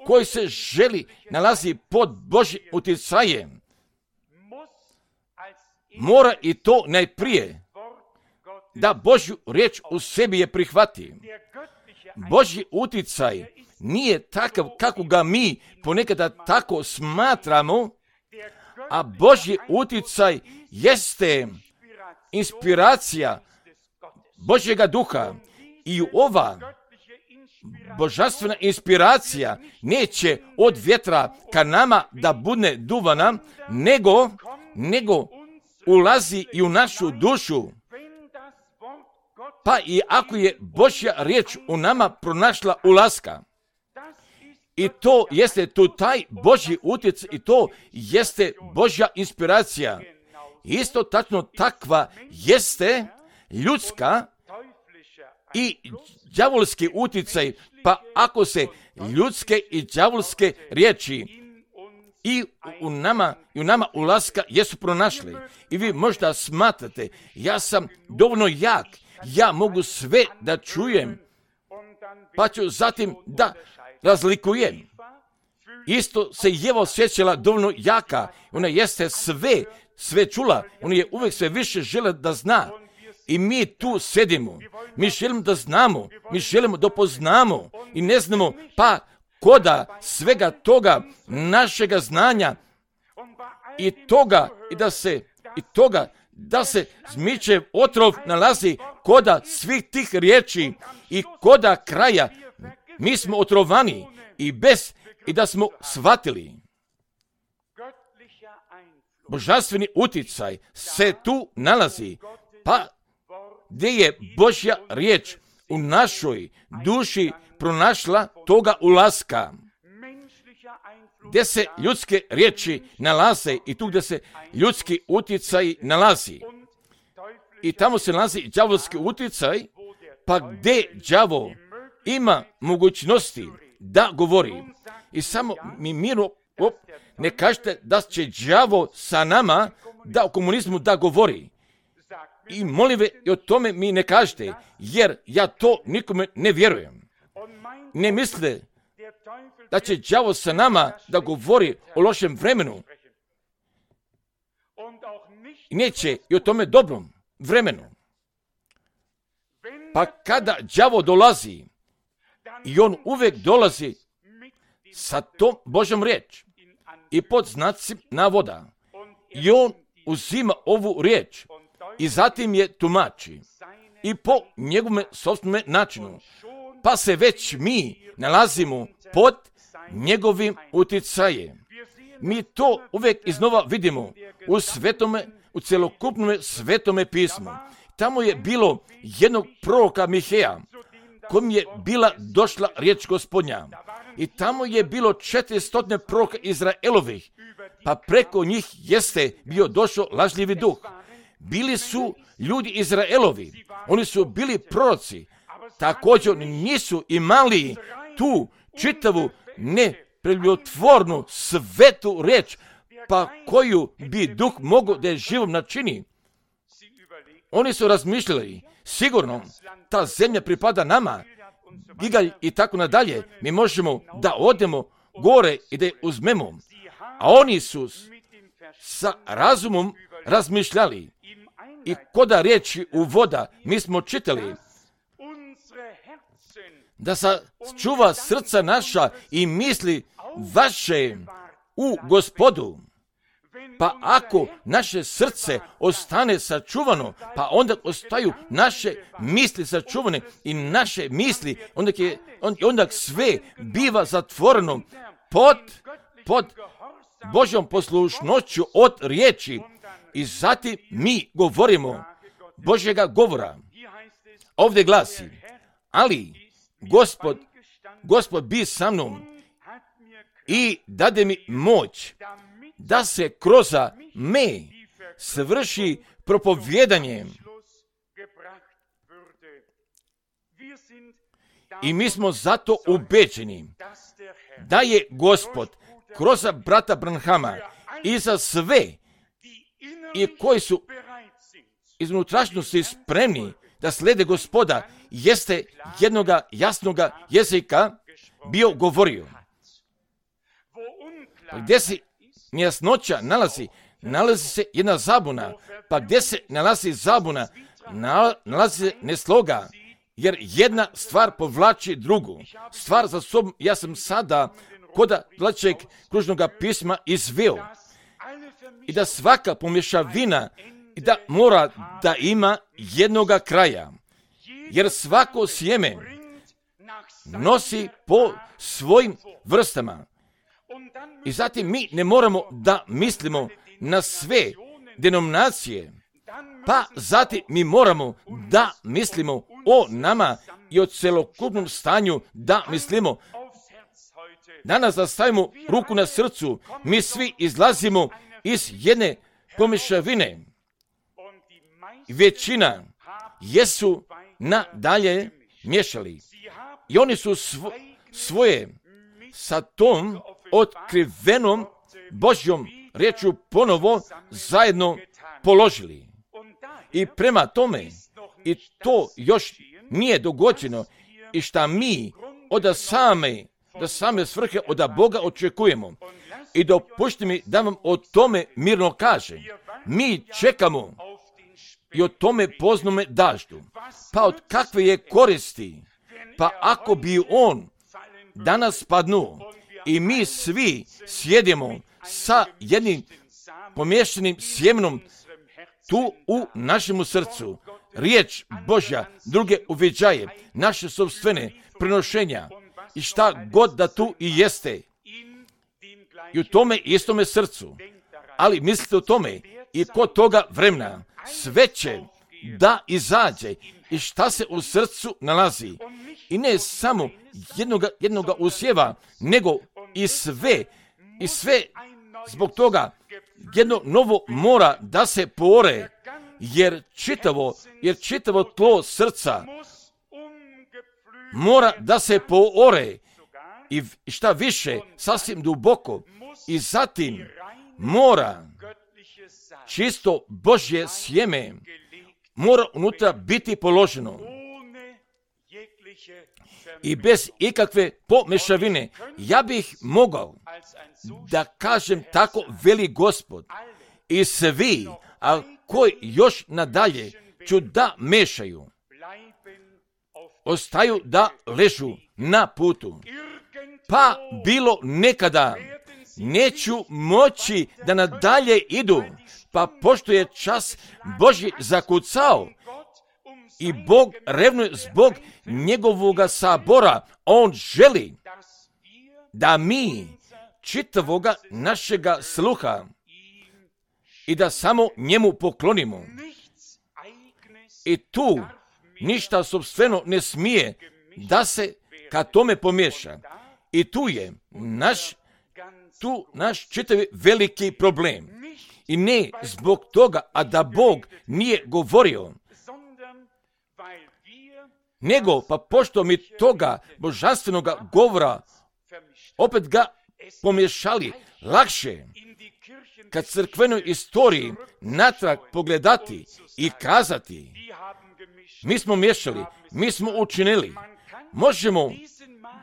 Speaker 1: koji se želi nalazi pod Božjim utjecajem, mora i to najprije da Božju riječ u sebi je prihvati. Božji utjecaj nije takav kako ga mi ponekada tako smatramo, a Božji utjecaj jeste inspiracija Božjega duha i ova božanstvena inspiracija neće od vjetra ka nama da bude duvana, nego ulazi i u našu dušu. Pa i ako je Božja riječ u nama pronašla ulaska, i to jeste tu taj Božji utjecaj, i to jeste Božja inspiracija. Isto tačno takva jeste ljudska i đavolski utjecaj, pa ako se ljudske i đavolske riječi i u nama ulaska jesu pronašli. I vi možda smatrate, ja sam dovoljno jak, ja mogu sve da čujem, pa ću zatim da razlikujem. Isto se Jeva osjećala dovoljno jaka, ona jeste sve čula, ona je uvijek sve više žela da zna. I mi tu sedimo, mi želimo da znamo, mi želimo da poznamo i ne znamo, pa koda svega toga našega znanja i toga da se zmiče otrov nalazi koda svih tih riječi i koda kraja, mi smo otrovani i da smo shvatili. Božanstveni utjecaj se tu nalazi, pa gdje je Božja riječ u našoj duši pronašla toga ulaska, gdje se ljudske riječi nalaze i tu gdje se ljudski utjecaj nalazi. I tamo se nalazi đavolski utjecaj, pa gdje đavo ima mogućnosti da govori. I samo mi mirno ne kažete da će đavo sa nama da u komunizmu da govori. I molim ve, i o tome mi ne kažete, jer ja to nikome ne vjerujem. Ne misle da će đavo sa nama da govori o lošem vremenu. I neće i o tome dobrom vremenu. Pa kada đavo dolazi, i on uvijek dolazi sa tom Božjom riječ i pod znacima navoda. I on uzima ovu riječ i zatim je tumači i po njegovom sopstvenom načinu. Pa se već mi nalazimo pod njegovim utjecajem. Mi to uvijek iznova vidimo u cjelokupnom svetome pismu. Tamo je bilo jednog proroka Miheja, kom je bila došla riječ Gospodnja. I tamo je bilo 400 proroka Izraelovih, pa preko njih jeste bio došao lažljivi duh. Bili su ljudi Izraelovi, oni su bili proroci, također nisu imali tu čitavu nepreljublotvornu svetu riječ, pa koju bi duh mogao da je živom načini. Oni su razmišljali, sigurno ta zemlja pripada nama, Gigalj i tako nadalje, mi možemo da odemo gore i da je uzmemo. A oni su sa razumom razmišljali. I koda riječi u voda, mi smo čitali da sačuva srca naša i misli vaše u Gospodu. Pa ako naše srce ostane sačuvano, pa onda ostaju naše misli sačuvane i naše misli, onda sve biva zatvoreno pod Božjom poslušnošću od riječi. I zatim mi govorimo Božjega govora. Ovdje glasi, ali Gospod bi sa mnom i dade mi moć da se kroz me svrši propovjedanje. I mi smo zato ubeđeni da je Gospod kroz brata Branhama i za sve i koji su iz unutrašnjosti spremni da slijede Gospoda, jeste jednoga jasnoga jezika bio govorio. Pa gdje se nejasnoća nalazi se jedna zabuna, pa gdje se nalazi zabuna, nalazi se nesloga, jer jedna stvar povlači drugu. Stvar za sobom, ja sam sada koda tlačeg kružnog pisma izveo. I da svaka pomješavina i da mora da ima jednoga kraja. Jer svako sjeme nosi po svojim vrstama. I zatim mi ne moramo da mislimo na sve denominacije, pa zatim mi moramo da mislimo o nama i o celokupnom stanju da mislimo. Danas da stavimo ruku na srcu, mi svi izlazimo iz jedne pomješavine. Većina jesu nadalje miješali. I oni su svoje sa tom otkrivenom Božjom riječju ponovo zajedno položili. I prema tome, i to još nije dogođeno, i šta mi od same svrhe od Boga očekujemo. I dopušti mi da vam o tome mirno kažem. Mi čekamo i o tome poznome daždu. Pa od kakve je koristi? Pa ako bi on danas padnuo i mi svi sjedimo sa jednim pomješanim sjemenom tu u našemu srcu, riječ Božja, druge uviđaje, naše sopstvene prenošenja i šta god da tu i jeste. I u tome istome srcu. Ali mislite o tome i kod toga vremena sve će da izađe i šta se u srcu nalazi. I ne samo jednoga usjeva, nego i sve zbog toga jedno novo mora da se poore, jer čitavo tlo srca mora da se poore i šta više, sasvim duboko, i zatim mora čisto Božje sjeme mora unutra biti položeno i bez ikakve pomešavine. Ja bih mogao da kažem tako, veli Gospod, i svi, a koji još nadalje ću da mešaju, ostaju da ležu na putu. Pa bilo nekada neću moći da nadalje idu, pa pošto je čas Božji zakucao i Bog revnuje zbog njegovoga sabora, on želi da mi čitavoga našega sluha i da samo njemu poklonimo. I tu ništa sopstveno ne smije da se ka tome pomiješa. I tu je naš čitavi veliki problem. I ne zbog toga, a da Bog nije govorio, nego pa pošto mi toga božanstvenoga govora opet ga pomiješali, lakše kad crkvenoj istoriji natrag pogledati i kazati, mi smo miješali, mi smo učinili,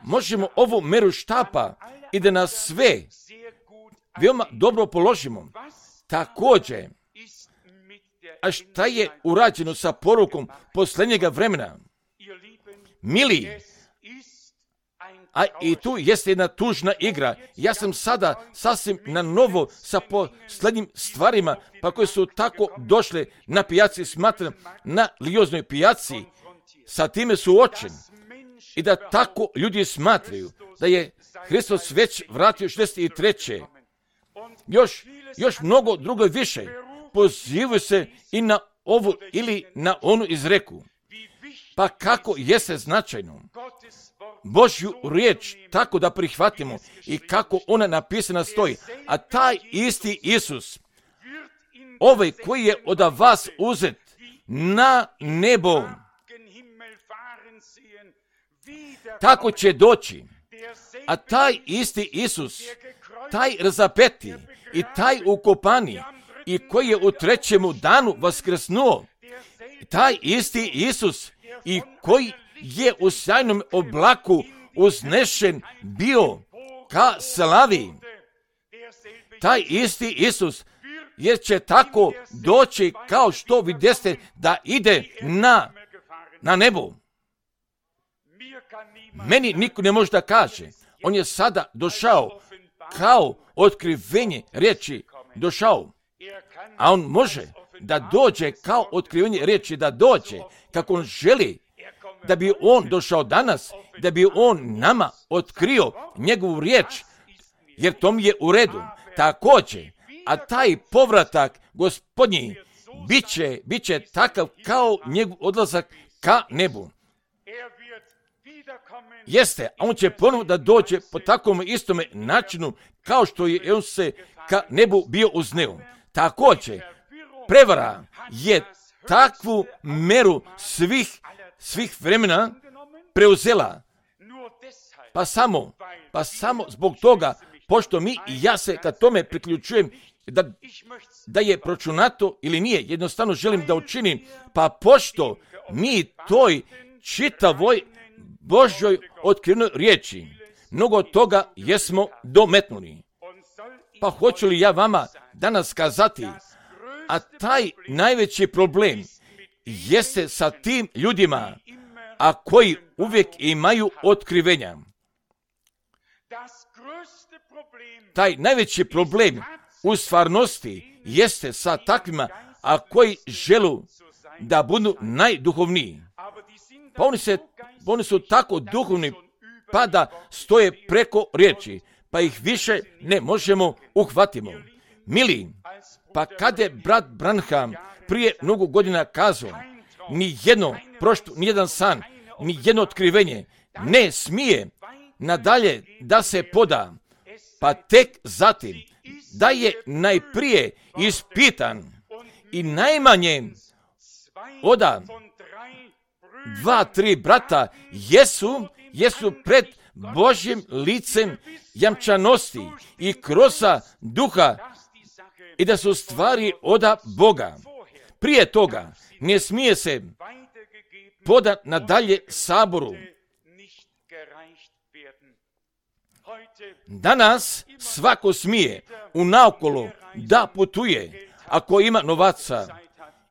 Speaker 1: možemo ovu meru štapa i da nas sve veoma dobro položimo. Također, a šta je urađeno sa porukom posljednjega vremena? Mili, a i tu jeste jedna tužna igra. Ja sam sada sasvim na novo sa posljednjim stvarima, pa koje su tako došle na pijaci, smatram, na Lioznoj pijaci, sa time suočen. I da tako ljudi smatraju da je Hristos već vratio 63. Još mnogo drugo više pozivaju se i na ovu ili na onu izreku. Pa kako jeste značajno Božju riječ tako da prihvatimo i kako ona napisana stoji. A taj isti Isus, ovaj koji je od vas uzet na nebo, tako će doći. A taj isti Isus, taj razapeti i taj ukopani i koji je u trećemu danu vaskrsnuo, taj isti Isus i koji je u sjajnom oblaku uznešen bio ka slavi, taj isti Isus, jer će tako doći kao što videste da ide na nebo. Meni niko ne može da kaže, on je sada došao kao otkrivenje riječi došao, a on može da dođe kao otkrivenje riječi, da dođe kako on želi, da bi on došao danas, da bi on nama otkrio njegovu riječ, jer to mi je u redu. Također, a taj povratak Gospodnji bit će takav kao njegov odlazak ka nebu. Jeste, a on će ponovno da dođe po takvom istome načinu kao što je on se ka nebu bio uzneo. Također, prevara je takvu meru svih vremena preuzela. Pa samo zbog toga, pošto mi i ja se ka tome priključujem, da je pročunato ili nije, jednostavno želim da učinim, pa pošto mi toj čitavoj Božjoj otkrivenoj riječi mnogo toga jesmo dometnuli. Pa hoću li ja vama danas kazati, a taj najveći problem jeste sa tim ljudima, a koji uvijek imaju otkrivenja. Taj najveći problem u stvarnosti jeste sa takvima, a koji želu da budu najduhovniji. Pa oni su tako duhovni, pa da stoje preko riječi, pa ih više ne možemo uhvatimo. Mili, pa kad je brat Branham prije mnogo godina kazao, nijedan san, nijedno otkrivenje ne smije nadalje da se poda, pa tek zatim da je najprije ispitan i najmanje oda 2-3 brata jesu pred Božjim licem jamčanosti i krosa duha i da su stvari oda Boga. Prije toga ne smije se poda nadalje saboru. Danas svako smije unaokolo da putuje ako ima novaca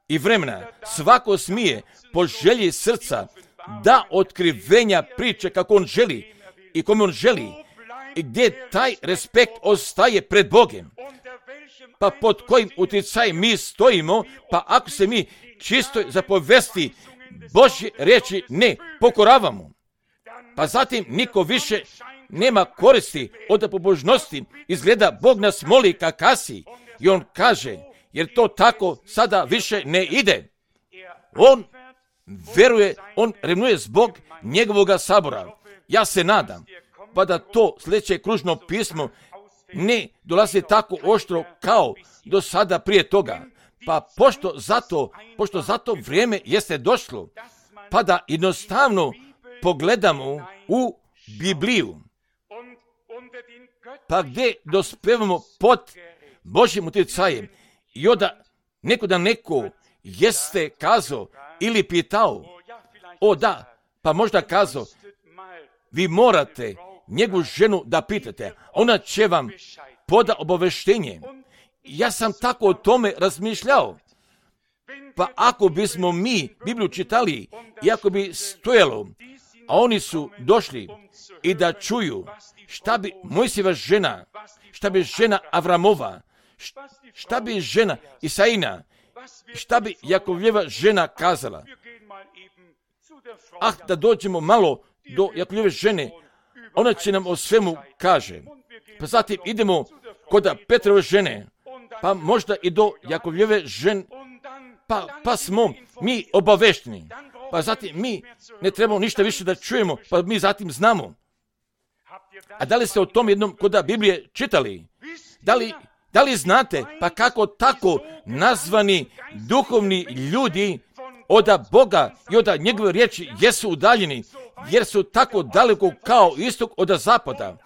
Speaker 1: i vremena. Svako smije po želji srca da otkrivenja priče kako on želi i kome on želi i gdje taj respekt ostaje pred Bogom. Pa pod kojim utjecajem mi stojimo, pa ako se mi čistoj zapovesti Božje riječi ne pokoravamo, pa zatim niko više nema koristi od pobožnosti. Izgleda Bog nas moli ka kasi i on kaže, jer to tako sada više ne ide. On veruje, on revnuje zbog njegovoga sabora. Ja se nadam, pa da to sljedeće kružno pismo ne dolazi tako oštro kao do sada prije toga. Pa pošto zato vrijeme jeste došlo, pa da jednostavno pogledamo u Bibliju, pa gdje dospevamo pod Božjim utjecajem i onda neko jeste kazao ili pitao, pa možda kazao, vi morate njegovu ženu da pitate, ona će vam poda obaveštenje. Ja sam tako o tome razmišljao. Pa ako bismo mi Bibliju čitali i ako bi stojalo, a oni su došli i da čuju šta bi Mojsijeva žena, šta bi žena Avramova, šta bi žena Isaina, šta bi Jakovljeva žena kazala. Da dođemo malo do Jakovljeve žene, ona će nam o svemu kaže. Pa zatim idemo kod Petrove žene, pa možda i do Jakovljeve žene, pa smo mi obavešteni. Pa zatim mi ne trebamo ništa više da čujemo, pa mi zatim znamo. A da li ste o tom jednom kod Biblije čitali? Da li znate, pa kako tako nazvani duhovni ljudi od Boga i od njegove riječi jesu udaljeni, jer su tako daleko kao istok od zapada.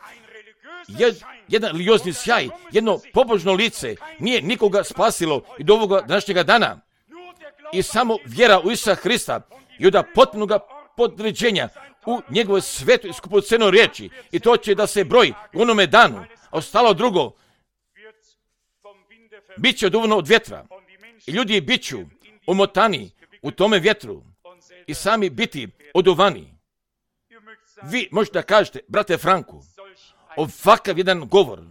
Speaker 1: Jedan religiozni sjaj, jedno pobožno lice nije nikoga spasilo i do ovoga današnjega dana. i samo vjera u Isusa Hrista i od potpunog podređenja u njegove svetu i skupocenoj riječi. I to će da se broji u onome danu. A ostalo drugo bit će oduvno od vjetra. I ljudi bit ću omotani u tome vjetru i sami biti oduvani. Vi možete da kažete, brate Franku, ovakav jedan govor.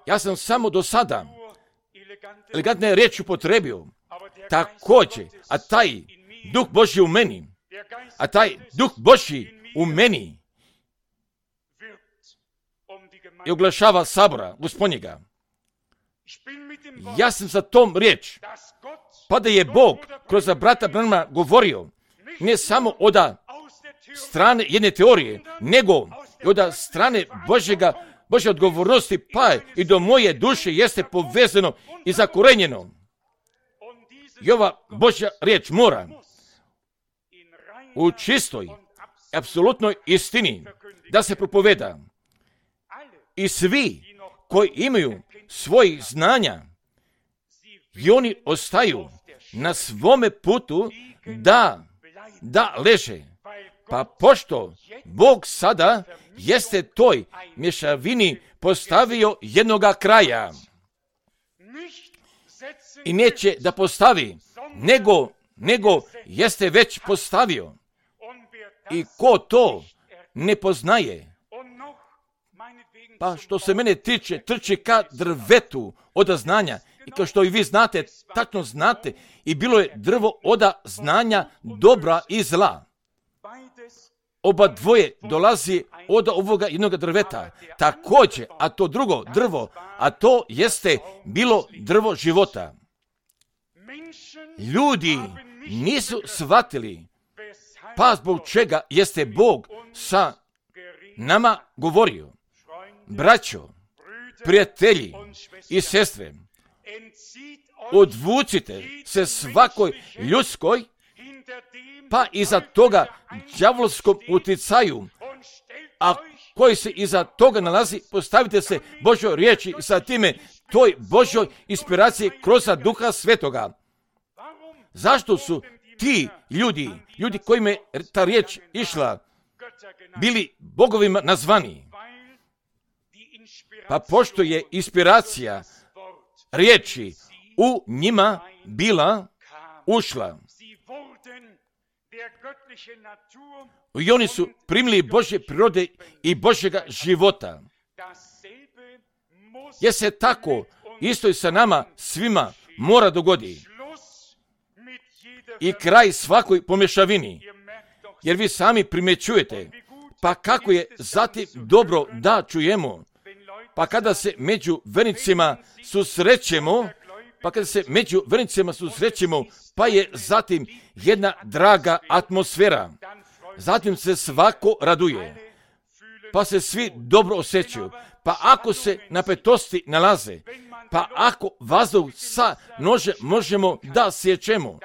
Speaker 1: Ja sam samo do sada elegantne riječi upotrebio. Također, a taj Duh Božji u meni, i oglašava sabora Gospodnjega. Ja sam sa tom riječ, pa da je Bog kroz brata Branhama govorio, ne samo od strane jedne teorije, nego i od strane Božje odgovornosti, pa i do moje duše jeste povezano i zakorenjeno. I ova Božja riječ mora u čistoj, apsolutnoj istini da se propoveda. I svi koji imaju svojih znanja i oni ostaju na svome putu da leže. Pa pošto Bog sada jeste toj mješavini postavio jednoga kraja i neće da postavi, nego jeste već postavio. I ko to ne poznaje, pa što se mene tiče, trči ka drvetu od znanja. I kao što i vi znate, tačno znate, i bilo je drvo od znanja dobra i zla. Oba dvoje dolazi od ovoga jednoga drveta. Također, a to drugo drvo, a to jeste bilo drvo života. Ljudi nisu shvatili, pa zbog čega jeste Bog sa nama govorio. Braćo, prijatelji i sestre, odvucite se svakoj ljudskoj, pa iza toga đavolskom uticaju, a koji se iza toga nalazi, postavite se Božoj riječi i sa time toj Božoj inspiraciji kroz Duha Svetoga. Zašto su ti ljudi kojima je ta riječ išla, bili bogovima nazvani? Pa pošto je inspiracija riječi u njima bila ušla, i oni su primili Božje prirode i Božjega života. Jer se tako isto i sa nama svima mora dogodi. I kraj svakoj pomješavini. Jer vi sami primjećujete, pa kako je zatim dobro da čujemo, pa kada se među vernicima susrećemo, pa je zatim jedna draga atmosfera. Zatim se svako raduje, pa se svi dobro osjećaju. Pa ako se napetosti nalaze, pa ako vazduh sa nože možemo da sjećemo,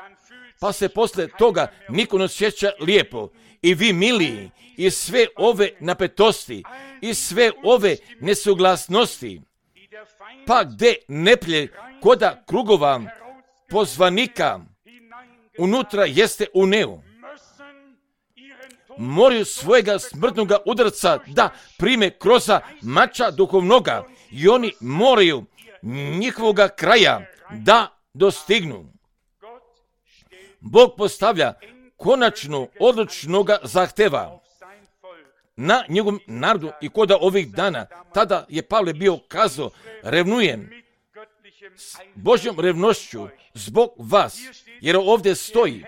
Speaker 1: pa se posle toga niko ne osjeća lijepo. I vi miliji, i sve ove napetosti, i sve ove nesuglasnosti, pa gde neplje koda krugova pozvanika unutra jeste u neu, moraju svojega smrtnoga udarca da prime kroz mača duhovnoga i oni moraju njihovoga kraja da dostignu. Bog postavlja konačno odlučnoga zahteva na njegovom narodu i koda ovih dana. Tada je Pavle bio kazao, revnujem s Božjom revnošću zbog vas, jer ovdje stoji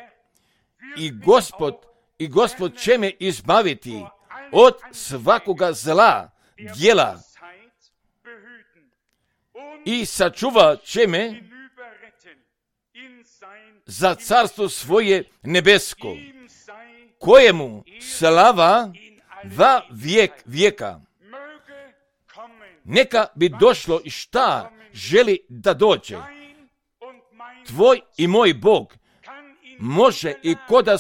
Speaker 1: i Gospod će me izbaviti od svakoga zla djela i sačuva će me za carstvo svoje nebesko, kojemu slava va vijek vijeka. Neka bi došlo i šta želi da dođe. Tvoj i moj Bog može i koda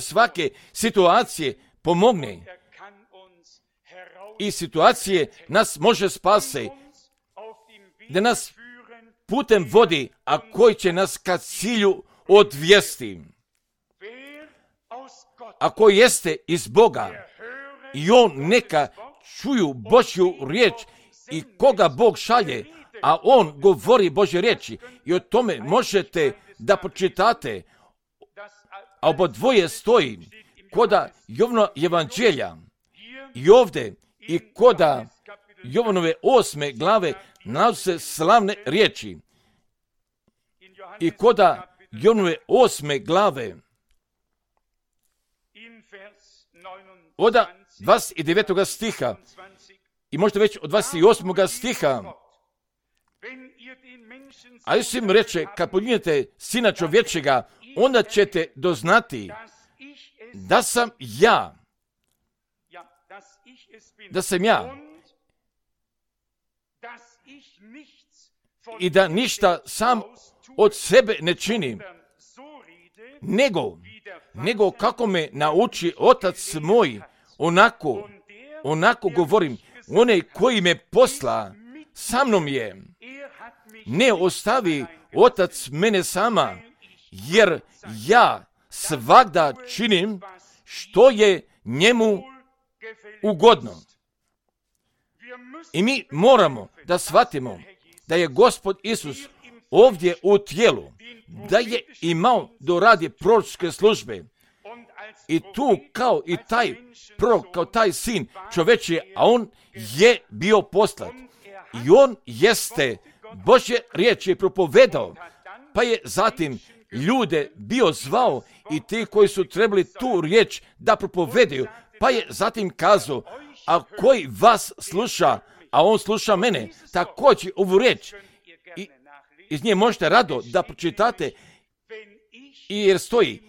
Speaker 1: svake situacije pomogne. I situacije nas može spase, da nas putem vodi, a koji će nas ka cilju odvesti. Ako jeste iz Boga, i on neka čuju Božju riječ i koga Bog šalje, a on govori Božje riječi. I o tome možete da pročitate, a obodvoje stoji koda Jovana evanđelja i ovdje i koda Jovanove 8. glave nalaze se slavne riječi. I koda Jovanove 8. glave od 29. stiha i možda već od 28. stiha, a Isus im reče, kad poljubite Sina čovječega, onda ćete doznati da sam ja, i da ništa sam od sebe ne činim, nego kako me nauči Otac moj, onako govorim. Onaj koji me posla sa mnom je. Ne ostavi Otac mene sama, jer ja svagda činim što je njemu ugodno. I mi moramo da shvatimo da je Gospod Isus ovdje u tijelu, da je imao do radi proročke službe. I tu kao i taj prorok, kao taj sin čovečiji, a on je bio poslat. I on jeste Božje riječi propovedao, pa je zatim ljude bio zvao i ti koji su trebali tu riječ da propovedaju, pa je zatim kazao, a koji vas sluša, a on sluša mene, također ovu riječ. I iz nje možete rado da pročitate, jer stoji,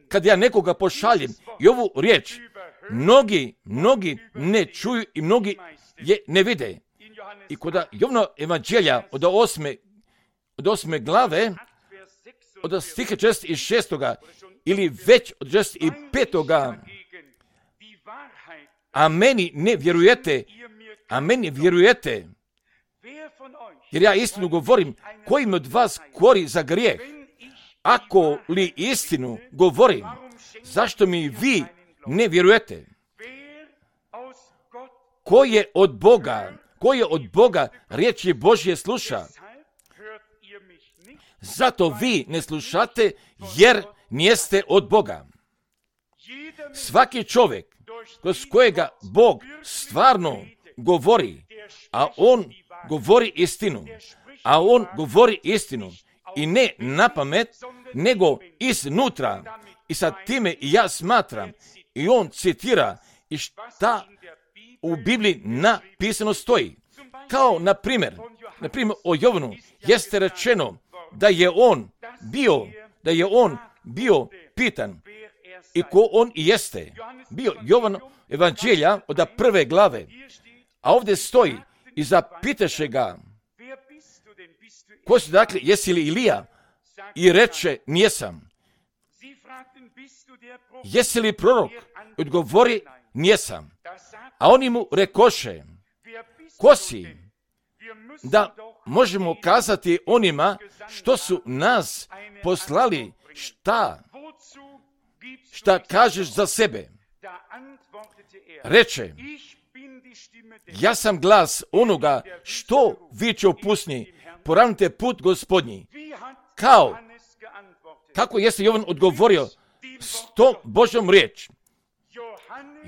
Speaker 1: kad ja nekoga pošaljem i ovu riječ, mnogi ne čuju i mnogi je ne vide. I kod Jovana evanđelja od 8. glave, od stiha 46. ili već od 65. A meni vjerujete, jer ja istinu govorim, kojim od vas kori za grijeh? Ako li istinu govorim, zašto mi vi ne vjerujete? Ko je od Boga riječi Božje sluša? Zato vi ne slušate, jer nijeste od Boga. Svaki čovjek kroz kojega Bog stvarno govori, a on govori istinu, i ne napamet, nego iznutra. I sa time ja smatram, i on citira i šta u Bibliji napisano stoji. Kao na primjer o Jovanu jeste rečeno da je on bio pitan i ko on i jeste. Bio Jovan evanđelja od 1. glave, a ovdje stoji i zapitaše ga, ko si dakle, jesi li Ilija? I reče, nijesam. Jesi li prorok? Odgovori, nijesam. A oni mu rekoše, ko si? Da možemo kazati onima što su nas poslali, šta kažeš za sebe? Reče, ja sam glas onoga što viče u pustinji, poravnite put Gospodnji. Kako jeste Jovan odgovorio s tom Božjom riječ?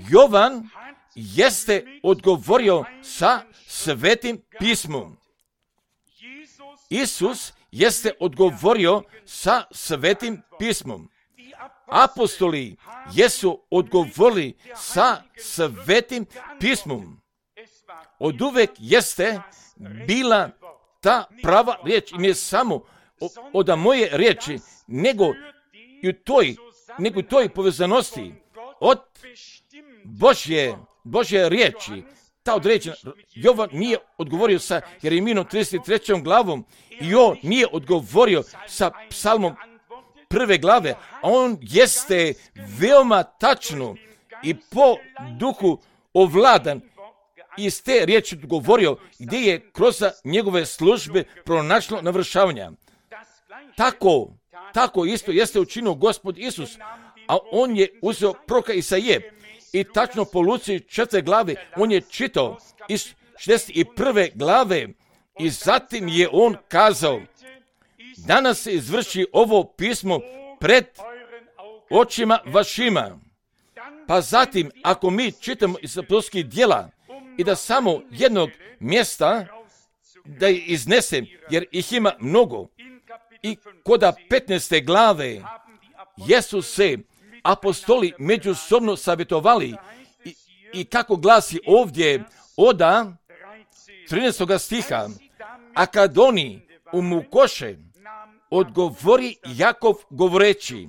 Speaker 1: Jovan jeste odgovorio sa Svetim pismom. Isus jeste odgovorio sa Svetim pismom. Apostoli jesu odgovorili sa Svetim pismom. Od uvek jeste bila ta prava riječ, i ne samo od moje riječi, nego i u toj povezanosti od Božje riječi. Ta određena, Jovan nije odgovorio sa Jeremijinom 33. glavom i on nije odgovorio sa psalmom 1. glave, a on jeste veoma tačno i po duhu ovladan iz te riječi govorio gdje je kroz njegove službe pronašlo navršavanja. Tako isto jeste učinio Gospod Isus, a on je uzeo proroka Isaije i tačno po Luci 4. glave on je čitao iz 61. glave i zatim je on kazao: danas se izvrši ovo pismo pred očima vašima. Pa zatim, ako mi čitamo iz apostolskih djela i da samo jednog mjesta da je iznesem, jer ih ima mnogo, i kod 15. glave jesu se apostoli međusobno savjetovali i kako glasi ovdje od 13. stiha, a kad oni umukoše, odgovori Jakov govoreći: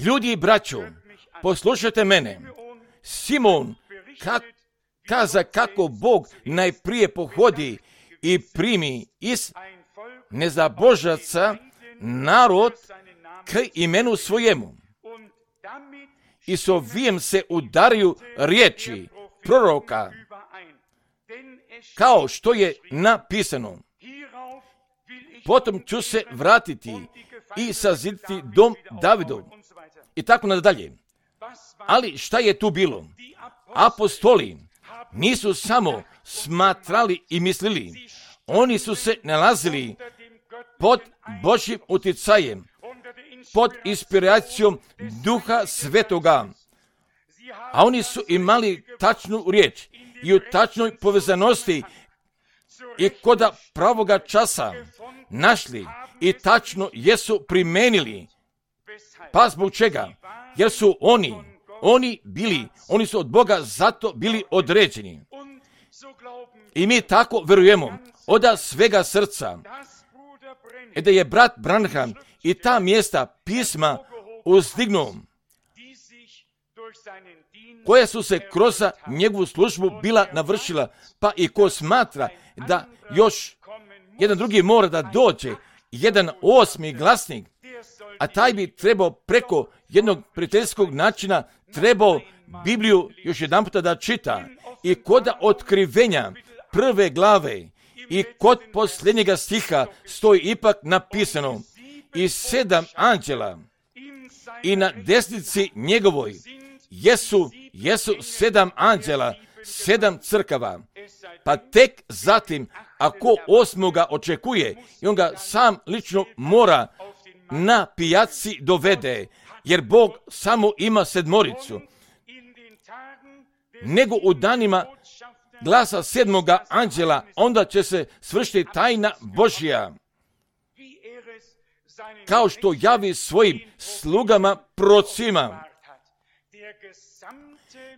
Speaker 1: ljudi i braćo, poslušajte mene. Simon kaza kako Bog najprije pohodi i primi iz nezabožaca narod k imenu svojemu. I s ovijem se udaraju riječi proroka, kao što je napisano: potom ću se vratiti i saziditi dom Davidov. I tako nadalje. Ali šta je tu bilo? Apostoli nisu samo smatrali i mislili, oni su se nalazili pod Božjim utjecajem, pod inspiracijom Duha Svetoga, a oni su imali tačnu riječ i u tačnoj povezanosti i kod pravoga časa našli i tačno jesu primenili. Pa zbog čega? Jer su oni su od Boga zato bili određeni. I mi tako vjerujemo od svega srca da je brat Branham i ta mjesta pisma uzdignuo, koja su se kroz njegovu službu bila navršila, pa i ko smatra da još jedan drugi mora da dođe, jedan 8. glasnik, a taj bi trebao preko jednog prijateljskog načina trebao Bibliju još jedan puta da čita i kod otkrivenja 1. glave i kod posljednjega stiha stoji ipak napisano: i 7 anđela i na desnici njegovoj jesu 7 anđela, 7 crkava. Pa tek zatim, ako 8. očekuje i on ga sam lično mora na pijaci dovede, jer Bog samo ima 7, nego u danima glasa 7. anđela, onda će se svršiti tajna Božja, kao što javi svojim slugama prorocima.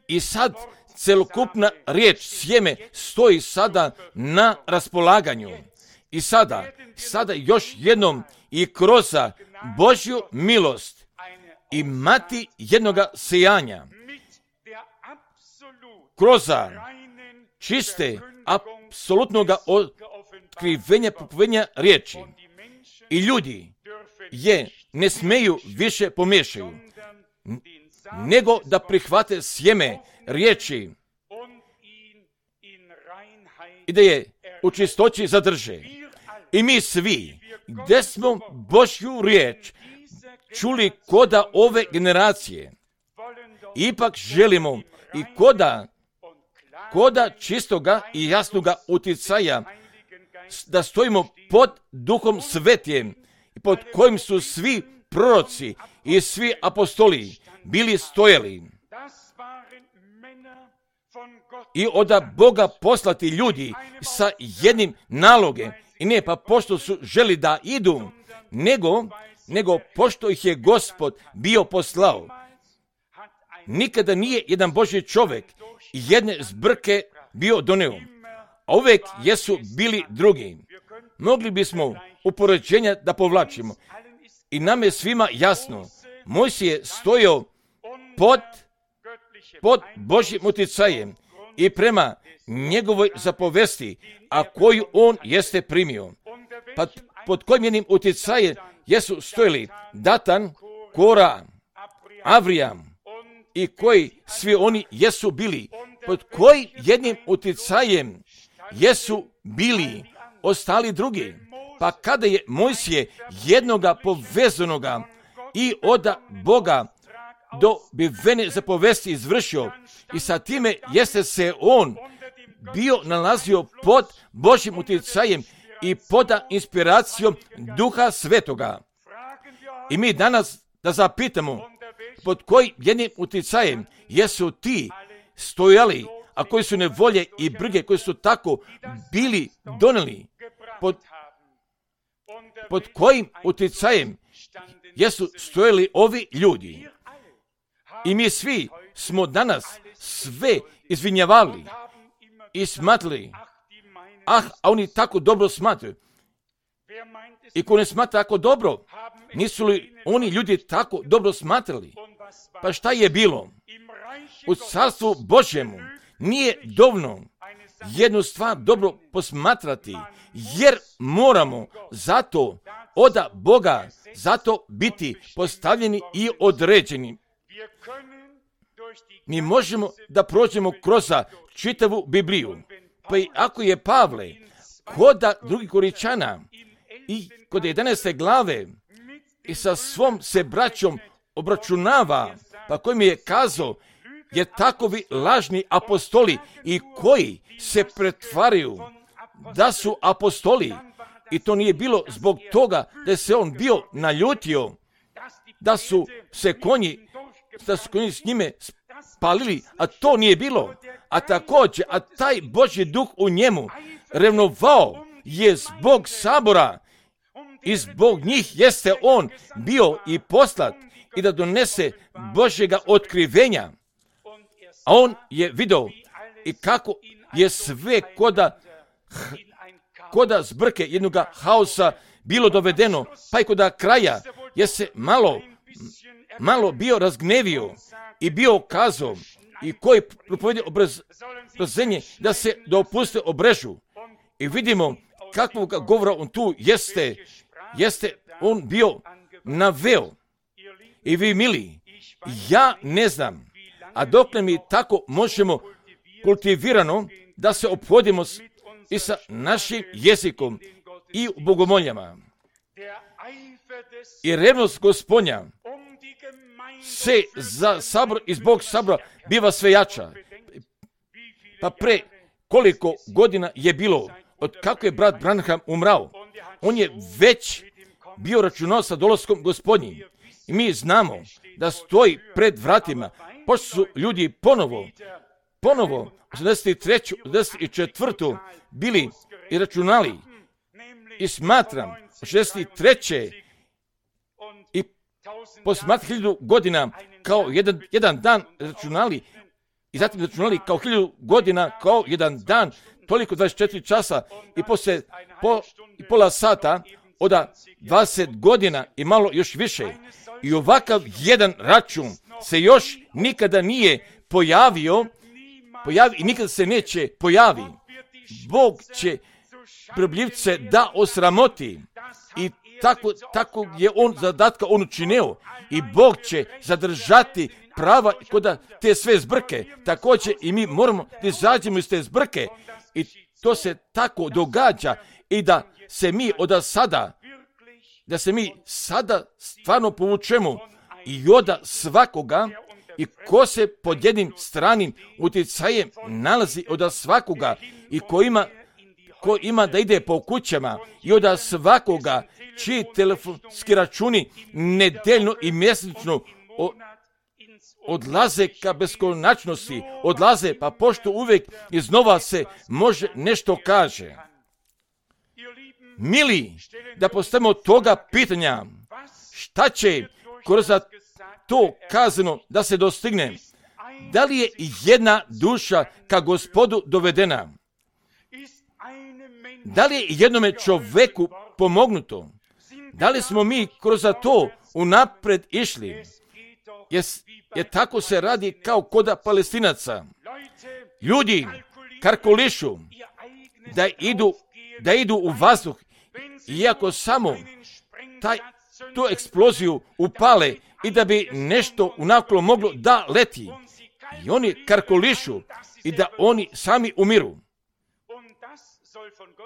Speaker 1: I sad celokupna riječ sjeme stoji sada na raspolaganju. I sada još jednom i kroz Božju milost imati jednoga sijanja, kroz čiste, apsolutnoga otkrivenja, popovenja riječi. I ljudi je ne smeju više pomiješaju, nego da prihvate sjeme riječi i da je u čistoći zadrže. I mi svi, gdje smo Božju riječ čuli koda ove generacije, ipak želimo i koda čistoga i jasnoga utjecaja da stojimo pod Duhom Svetijem i pod kojim su svi proroci i svi apostoli bili stojali. I od Boga poslati ljudi sa jednim nalogom, i ne pa pošto su želi da idu, nego pošto ih je Gospod bio poslao. Nikada nije jedan Božji čovjek jedne zbrke bio doneo, a uvijek jesu bili drugi. Mogli bismo upoređenja da povlačimo. I nam je svima jasno, Mojsije je stojao pod Božjim utjecajem i prema njegovoj zapovesti, a koju on jeste primio. Pa pod kojim jednim utjecajem jesu stojili Datan, Kora, Avrijam i koji svi oni jesu bili pod kojim jednim utjecajem jesu bili ostali drugi. Pa kada je Mojsije jednoga povezanoga i od Boga dobivene zapovesti izvršio i sa time jeste se on bio nalazio pod Božjim utjecajem i pod inspiracijom Duha Svetoga. I mi danas da zapitamo pod kojim jednim utjecajem jesu ti stojali, a koji su nevolje i brige koji su tako bili donijeli, pod kojim utjecajem jesu stojali ovi ljudi. I mi svi smo danas sve izvinjavali i smatrali, a oni tako dobro smatraju. I ko ne smatra tako dobro, nisu li oni ljudi tako dobro smatrali? Pa šta je bilo? U Carstvu Božjemu nije dovoljno jednu stvar dobro posmatrati, jer moramo zato od Boga zato biti postavljeni i određeni. Mi možemo da prođemo kroz čitavu Bibliju. Pa i ako je Pavle kod drugih Koričana i kod 11. glave i sa svom se braćom obračunava, pa koji mi je kazao, jer takovi lažni apostoli i koji se pretvaraju da su apostoli, i to nije bilo zbog toga da se on bio naljutio, da su konji s njime spalili, a to nije bilo. A također, a taj Božji duh u njemu revnovao je zbog sabora i zbog njih jeste on bio i poslat i da donese Božjega otkrivenja. A on je vidio i kako je sve koda zbrke jednog haosa bilo dovedeno, pa i koda kraja je se malo bio razgnevio i bio kazao i koji propovedi obrazenje da se dopuste obrežu. I vidimo kakvog govora on tu jeste on bio naveo. I vi mili, ja ne znam, a dokle mi tako možemo kultivirano da se ophodimo i sa našim jezikom i u bogomoljama. I revnost Gospodnja se za sabor i zbog sabora biva sve jača. Pa pre koliko godina je bilo od kako je brat Branham umrao, on je već bio računao sa dolaskom Gospodnjim. I mi znamo da stoji pred vratima, pošto su ljudi ponovo 83. 84. bili i računali. I smatram 63. i posmatram 1000 godina kao jedan dan računali i zatim računali kao 1000 godina kao jedan dan, toliko 24 časa i poslije pola sata od 20 godina i malo još više. I ovakav jedan račun se još nikada nije pojavio i nikada se neće pojavi. Bog će probljivce da osramoti i tako je on zadatka on učinio i Bog će zadržati prava kod te sve zbrke. Također i mi moramo da izađemo iz te zbrke i to se tako događa i da se mi sada stvarno povučemo i od svakoga i ko se pod jednim stranim utjecajem nalazi od svakoga i ko ima da ide po kućama i od svakoga čiji telefonski računi nedeljno i mjesečno odlaze ka beskonačnosti, odlaze pa pošto uvijek iznova se može nešto kaže. Mili, da postavimo toga pitanja, šta će kroz to kazano da se dostigne? Da li je jedna duša ka Gospodu dovedena? Da li je jednome čoveku pomognuto? Da li smo mi kroz to unapred išli? Jer tako se radi kao koda Palestinaca. Ljudi kalkulišu da idu u vazduh, iako samo tu eksploziju upale i da bi nešto unaklo moglo da leti. I oni kalkulišu i da oni sami umiru.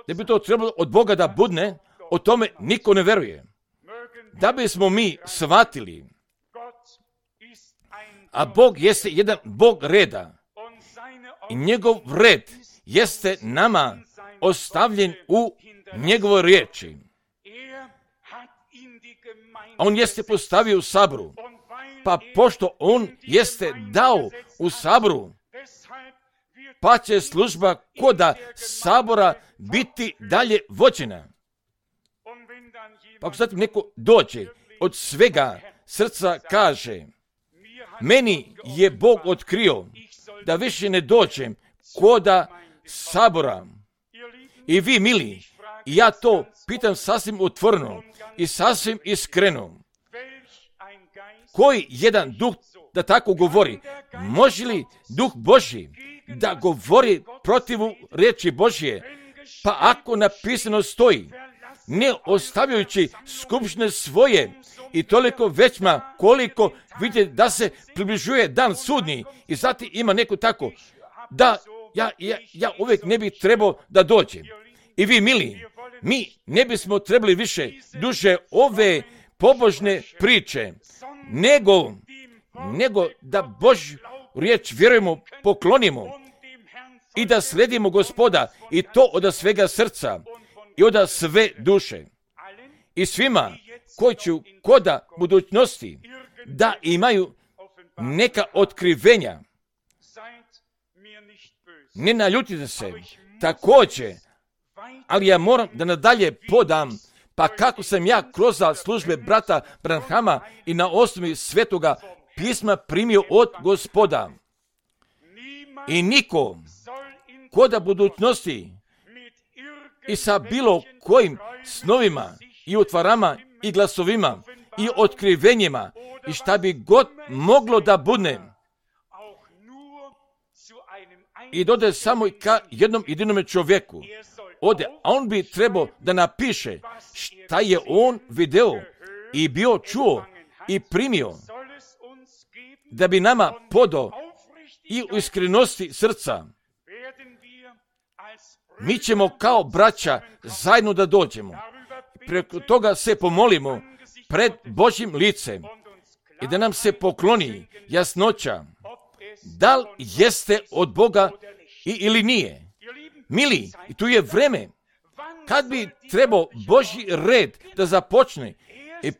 Speaker 1: Da bi to trebalo od Boga da budne, o tome niko ne veruje. Da bismo mi shvatili, a Bog jeste jedan Bog reda i njegov red jeste nama ostavljen u njegovoj riječi. On jeste postavio u saboru, pa pošto on jeste dao u saboru, pa će služba koda sabora biti dalje vođena. Pa ako zatim neko dođe od svega srca kaže, meni je Bog otkrio da više ne dođem koda sabora. I vi, mili, ja to pitam sasvim otvoreno i sasvim iskreno. Koji jedan duh da tako govori? Može li duh Božji da govori protivu riječi Božje? Pa ako napisano stoji, ne ostavljajući skupštine svoje i toliko većma koliko vidite da se približuje dan sudnji i zatim ima neko tako da ja uvijek ne bih trebao da dođem. I vi, mili, mi ne bismo trebali više duže ove pobožne priče, nego da Božju riječ vjerujemo, poklonimo i da sledimo Gospoda i to od svega srca i od sve duše. I svima koji će koda budućnosti da imaju neka otkrivenja. Ne naljutite se, također, ali ja moram da nadalje podam, pa kako sam ja kroz službe brata Branhama i na osnovi svetoga pisma primio od Gospoda. I niko koda budućnosti i sa bilo kojim snovima i utvarama i glasovima i otkrivenjima i šta bi god moglo da budne i dode samo ka jednom jedinome čovjeku ode, a on bi trebao da napiše šta je on video i bio čuo i primio, da bi nama podao i u iskrenosti srca. Mi ćemo kao braća zajedno da dođemo. Preko toga se pomolimo pred Božjim licem i da nam se pokloni jasnoća da li jeste od Boga ili nije. Mili, i tu je vreme kad bi trebao Božji red da započne i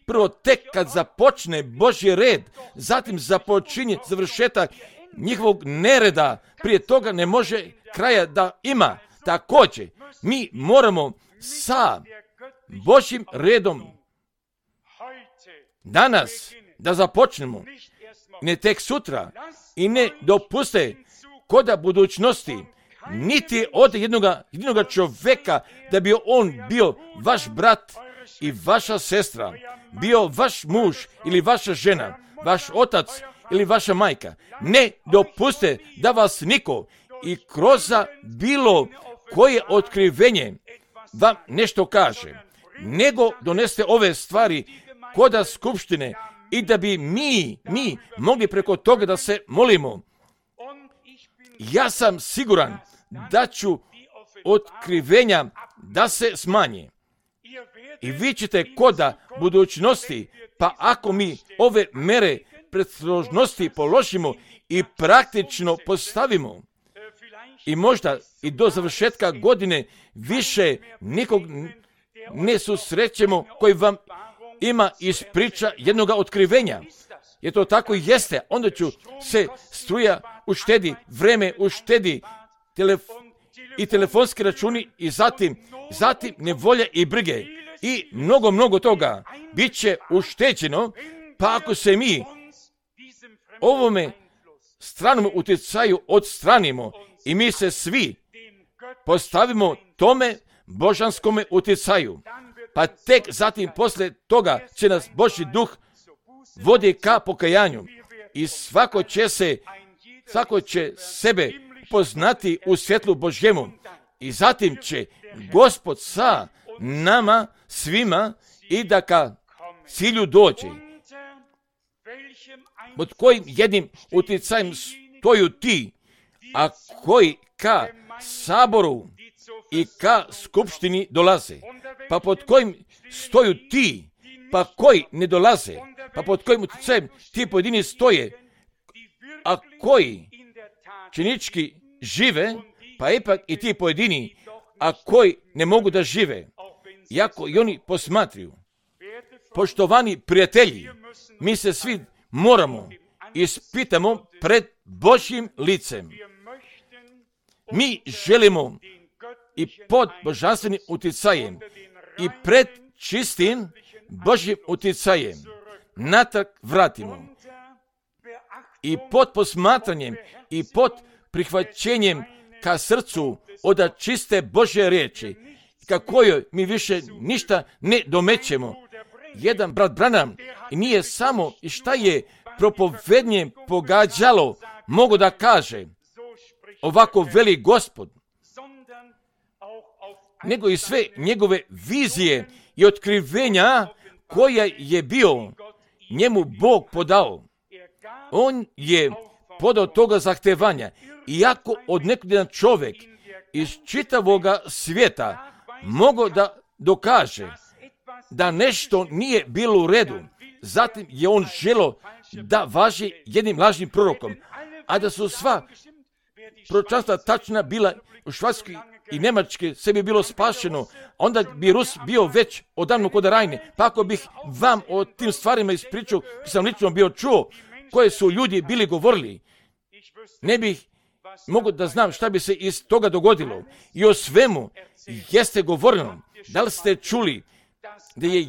Speaker 1: prvo tek kad započne Božji red, zatim započinje završetak njihovog nereda, prije toga ne može kraja da ima. Također, mi moramo sa Božjim redom danas da započnemo, ne tek sutra, i ne dopuste koda budućnosti, niti od jednoga čovjeka da bi on bio vaš brat i vaša sestra, bio vaš muž ili vaša žena, vaš otac ili vaša majka. Ne dopuste da vas niko i kroz bilo koje otkrivenje vam nešto kaže, nego doneste ove stvari koda skupštine i da bi mi mogli preko toga da se molimo. Ja sam siguran da ću otkrivenja da se smanje. I vi ćete koda budućnosti, pa ako mi ove mere predostrožnosti položimo i praktično postavimo, i možda i do završetka godine više nikog ne susrećemo koji vam ima ispriča jednoga otkrivenja. Jer to tako jeste, onda ću se struja uštedi, vreme uštedi, i telefonski računi i zatim nevolja i brige i mnogo toga bit će ušteđeno, pa ako se mi ovome stranom utjecaju odstranimo i mi se svi postavimo tome božanskome utjecaju, pa tek zatim poslije toga će nas Božji duh vodi ka pokajanju i svako će sebe poznati u svjetlu Božjemu i zatim će Gospod sa nama svima i da ka cilju dođe. Pod kojim jednim utjecajem stoju ti a koji ka saboru i ka skupštini dolaze, pa pod kojim stoju ti, pa koji ne dolaze, pa pod kojim utjecajem ti pojedini stoje, a koji činički žive, pa ipak i ti pojedini, a koji ne mogu da žive, iako i oni posmatruju. Poštovani prijatelji, mi se svi moramo ispitamo pred Božjim licem. Mi želimo i pod božanstvenim utjecajem i pred čistim Božjim utjecajem natrag vratimo. I pod posmatranjem i pod prihvaćenjem ka srcu od čiste Božje riječi, ka kojoj mi više ništa ne domećemo. Jedan brat Branham nije samo i šta je propovednje pogađalo, mogu da kaže, ovako veli Gospod, nego i sve njegove vizije i otkrivenja koja je bio njemu Bog podao. On je podao toga zahtevanja, iako od nekog jedan čovjek iz čitavoga svijeta mogao da dokaže da nešto nije bilo u redu, zatim je on želio da važi jednim lažnim prorokom, a da su sva proročanstva tačna bila u Švedskoj i Njemačke, sve bi bilo spašeno, onda bi Rus bio već odavno kod Rajne. Pa ako bih vam o tim stvarima ispričao, sam lično bio čuo, koje su ljudi bili govorili, ne bih mogu da znam šta bi se iz toga dogodilo. I o svemu jeste govoreno. Da li ste čuli da je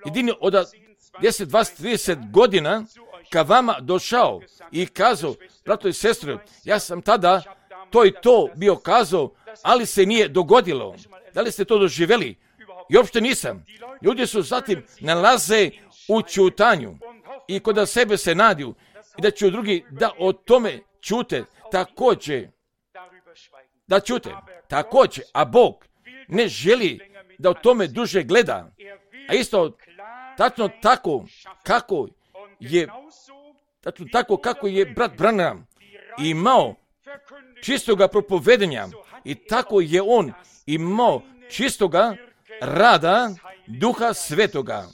Speaker 1: jedini od 10, 20, 30 godina ka vama došao i kazao, brato i sestro, ja sam tada to i to bio kazao, ali se nije dogodilo. Da li ste to doživjeli? I uopšte nisam. Ljudi su zatim nalaze u ćutanju i kod sebe se nadiju i da će drugi da o tome ćute također. Da ćute također, a Bog ne želi da o tome duže gleda. A isto tačno tako kako je brat Branham imao čistoga propovedenja i tako je on imao čistoga rada Duha Svetoga.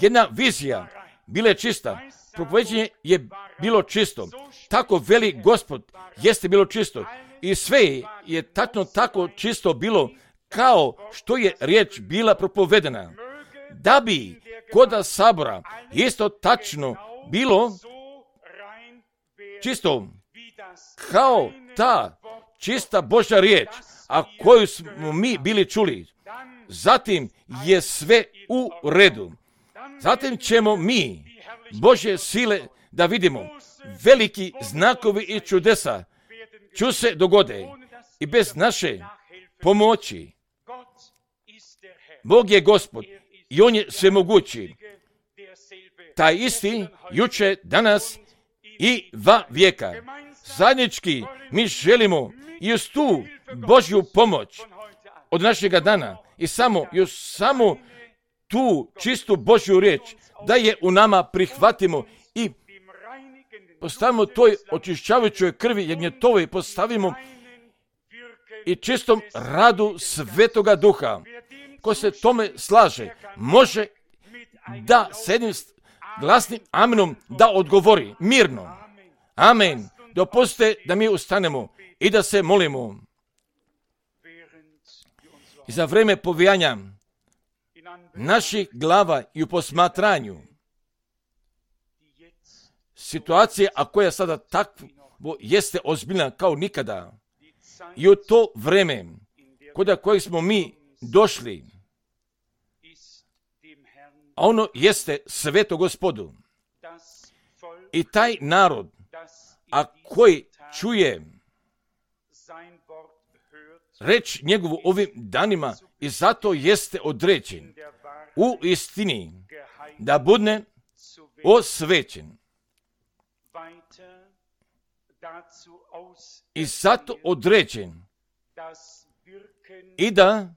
Speaker 1: Jedna vizija bila je čista, propoveđenje je bilo čisto, tako veli Gospod jeste bilo čisto i sve je tačno tako čisto bilo kao što je riječ bila propovedena. Da bi kod sabora isto tačno bilo čisto kao ta čista Božja riječ, a koju smo mi bili čuli, zatim je sve u redu. Zatim ćemo mi Božje sile da vidimo, veliki znakovi i čudesa ću se dogode i bez naše pomoći. Bog je Gospod i On je svemogući. Taj isti juče, danas i va vijeka. Zajednički mi želimo i uz tu Božju pomoć od našega dana i samo tu čistu Božju riječ da je u nama prihvatimo i postavimo toj očišćavajućoj krvi jagnjetove, postavimo i čistom radu Svetoga Duha. Ko se tome slaže, može da s jednim glasnim amenom da odgovori mirno. Amen. Dopustite da mi ustanemo i da se molimo. I za vreme povijanja naših glava i u posmatranju situacije, a koja sada takvo jeste ozbiljna kao nikada, i u to vreme kod kojeg smo mi došli, a ono jeste sveto Gospodu. I taj narod, a koji čuje reč njegovu ovim danima i zato jeste određen u istini da bude osvećen. I zato određen i da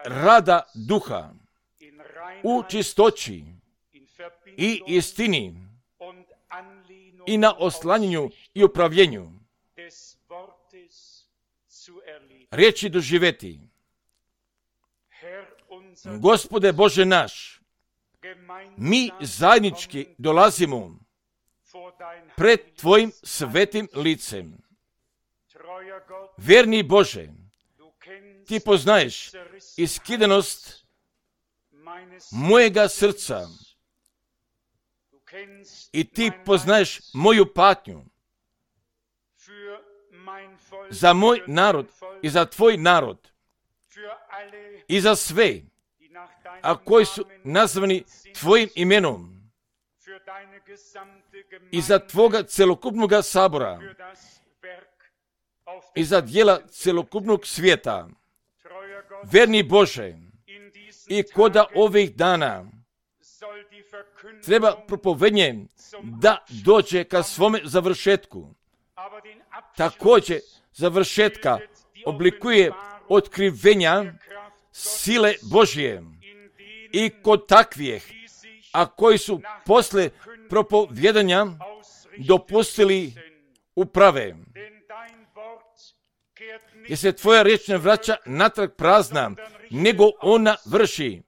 Speaker 1: rada Duha u čistoći i istini i na oslanjanju i upravljenju riječi doživjeti. Gospode Bože naš, mi zajednički dolazimo pred Tvojim svetim licem. Vjerni Bože, Ti poznaješ iskidanost mojega srca i Ti poznaješ moju patnju za moj narod i za Tvoj narod i za sve, a koji su nazvani Tvojim imenom i za Tvoga celokupnog sabora i za djela celokupnog svijeta. Verni Bože, i koda ovih dana treba propovednje da dođe ka svome završetku. Također završetka oblikuje otkrivenja sile Božje i kod takvih, a koji su posle propovjedanja dopustili uprave. Jer se Tvoja riječ ne vraća natrag prazna, nego ona vrši.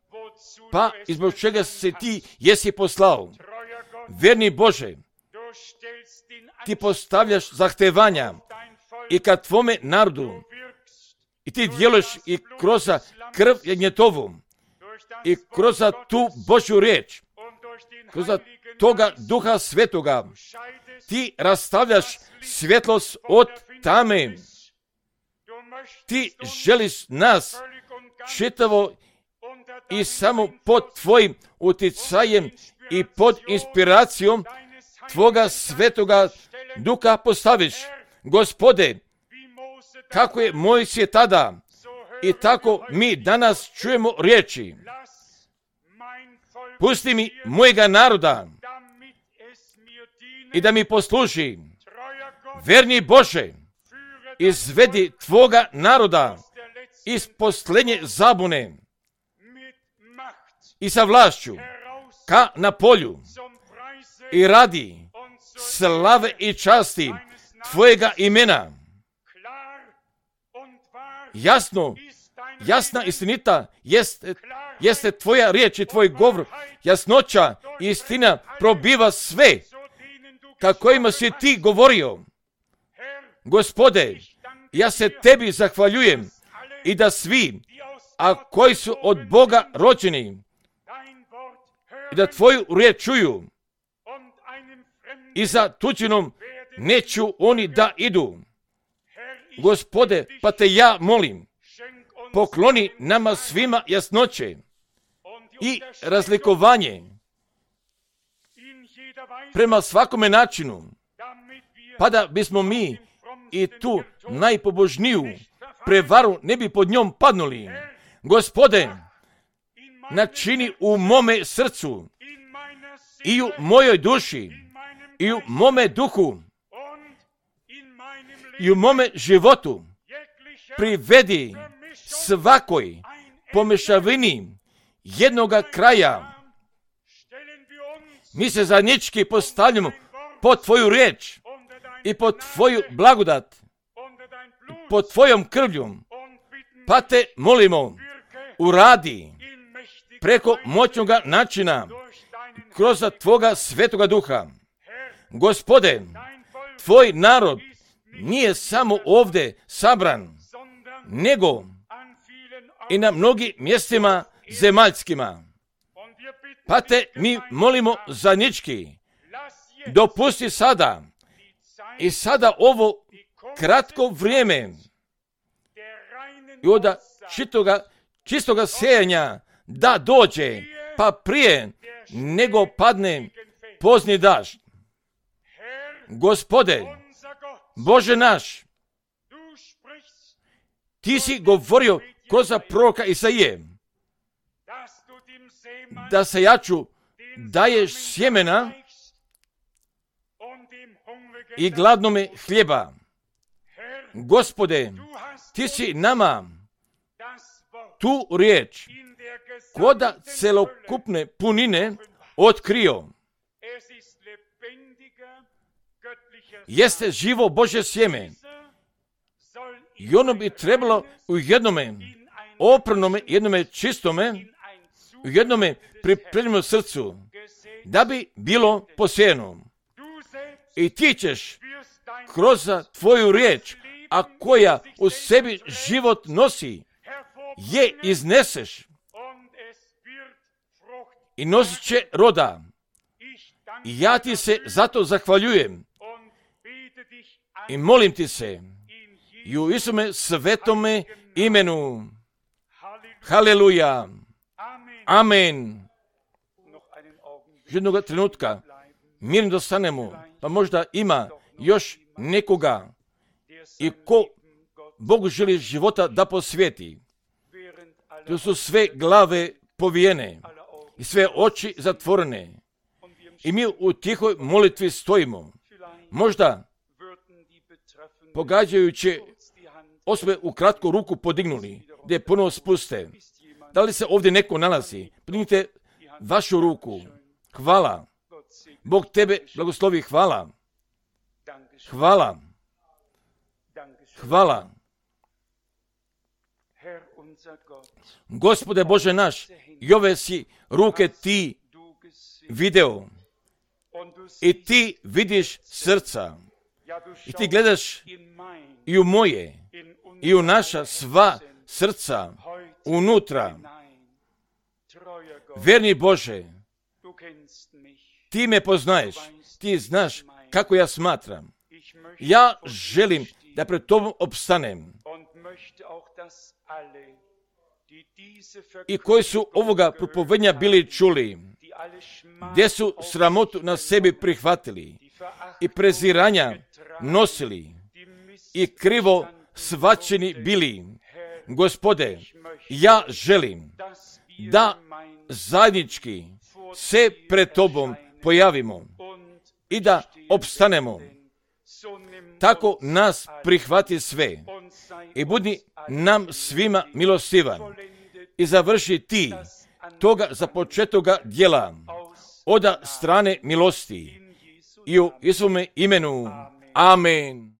Speaker 1: Pa izbog čega se Ti jesi poslao. Vjerni Bože, Ti postavljaš zahtevanja i kad Tvome narodu i Ti djeluješ i kroz krv jagnjetovu i kroz tu Božju riječ, kroz toga Duha Svetoga, Ti rastavljaš svjetlost od tame. Ti želiš nas čitavo i samo pod Tvojim utjecajem i pod inspiracijom Tvoga Svetoga Duha postaviš. Gospode, kako je Mojsije tada i tako mi danas čujemo riječi. Pusti mi mojega naroda i da mi posluži. Verni Bože, izvedi Tvoga naroda iz posljednje zabune i sa vlašću ka na polju i radi slave i časti Tvojega imena. Jasna istinita jeste Tvoja riječ i Tvoj govor. Jasnoća i istina probiva sve ka kojima si Ti govorio. Gospode, ja se Tebi zahvaljujem i da svi, a koji su od Boga rođeni, i da Tvoju riječ čuju i za tuđinom neću oni da idu. Gospode, pa Te ja molim, pokloni nama svima jasnoće i razlikovanje prema svakome načinu, pa da bismo mi i tu najpobožniju prevaru ne bi pod njom padnuli. Gospode, načini u mome srcu i u mojoj duši i u mome duhu i u mome životu privedi svakoj pomešavini jednoga kraja. Mi se zajednički postavljamo pod Tvoju riječ i pod Tvoju blagodat, pod Tvojom krvlju, pa Te molimo, uradi preko moćnoga načina kroz Tvoga Svetoga Duha. Gospode, Tvoj narod nije samo ovdje sabran, nego i na mnogim mjestima zemaljskima. Pa Te mi molimo zajednički, dopusti sada i sada ovo kratko vrijeme i od čistoga sejanja da dođe, pa prije nego padne pozni dažd. Gospode, Bože naš, Ti si govorio kroz proroka Isaije da sejaču daješ sjemena i gladnome hljeba. Gospode, Ti si nama tu riječ koda celokupne punine otkrio.
Speaker 2: jeste živo Božje sjeme. I ono bi trebalo u jednome oprnome, jednome čistome, u jednome pripremljenom srcu, da bi bilo posijeno. I ti ćeš kroz tvoju riječ, a koja u sebi život nosi, je izneseš i nosit će roda. I ja ti se zato zahvaljujem i molim ti se i u Isume svetome imenu. Haleluja. Amen. Jednog trenutka mirno da stanemo, pa možda ima još nekoga i ko Bogu želi života da posvijeti. To su sve glave povijene i sve oči zatvorene. I mi u tihoj molitvi stojimo. Možda pogađajući osobe u kratku ruku podignuli, gdje ponovo spuste. Da li se ovdje neko nalazi? Podignite vašu ruku. Hvala. Bog tebe blagoslovi. Hvala. Hvala. Hvala. Gospode Bože naš, i ove si ruke ti video. I ti vidiš srca. I ti gledaš i u moje, i u naša sva srca, unutra. Verni Bože, ti me poznaješ, ti znaš kako ja smatram. Ja želim da pred tobom opstanem. I koji su ovoga propovednja bili čuli, gdje su sramotu na sebi prihvatili i preziranja nosili i krivo svačeni bili. Gospode, ja želim da zajednički se pred tobom pojavimo i da opstanemo. Tako nas prihvati sve i budi nam svima milostivan i završi ti toga započetoga djela od strane milosti i u Isume imenu. Amen.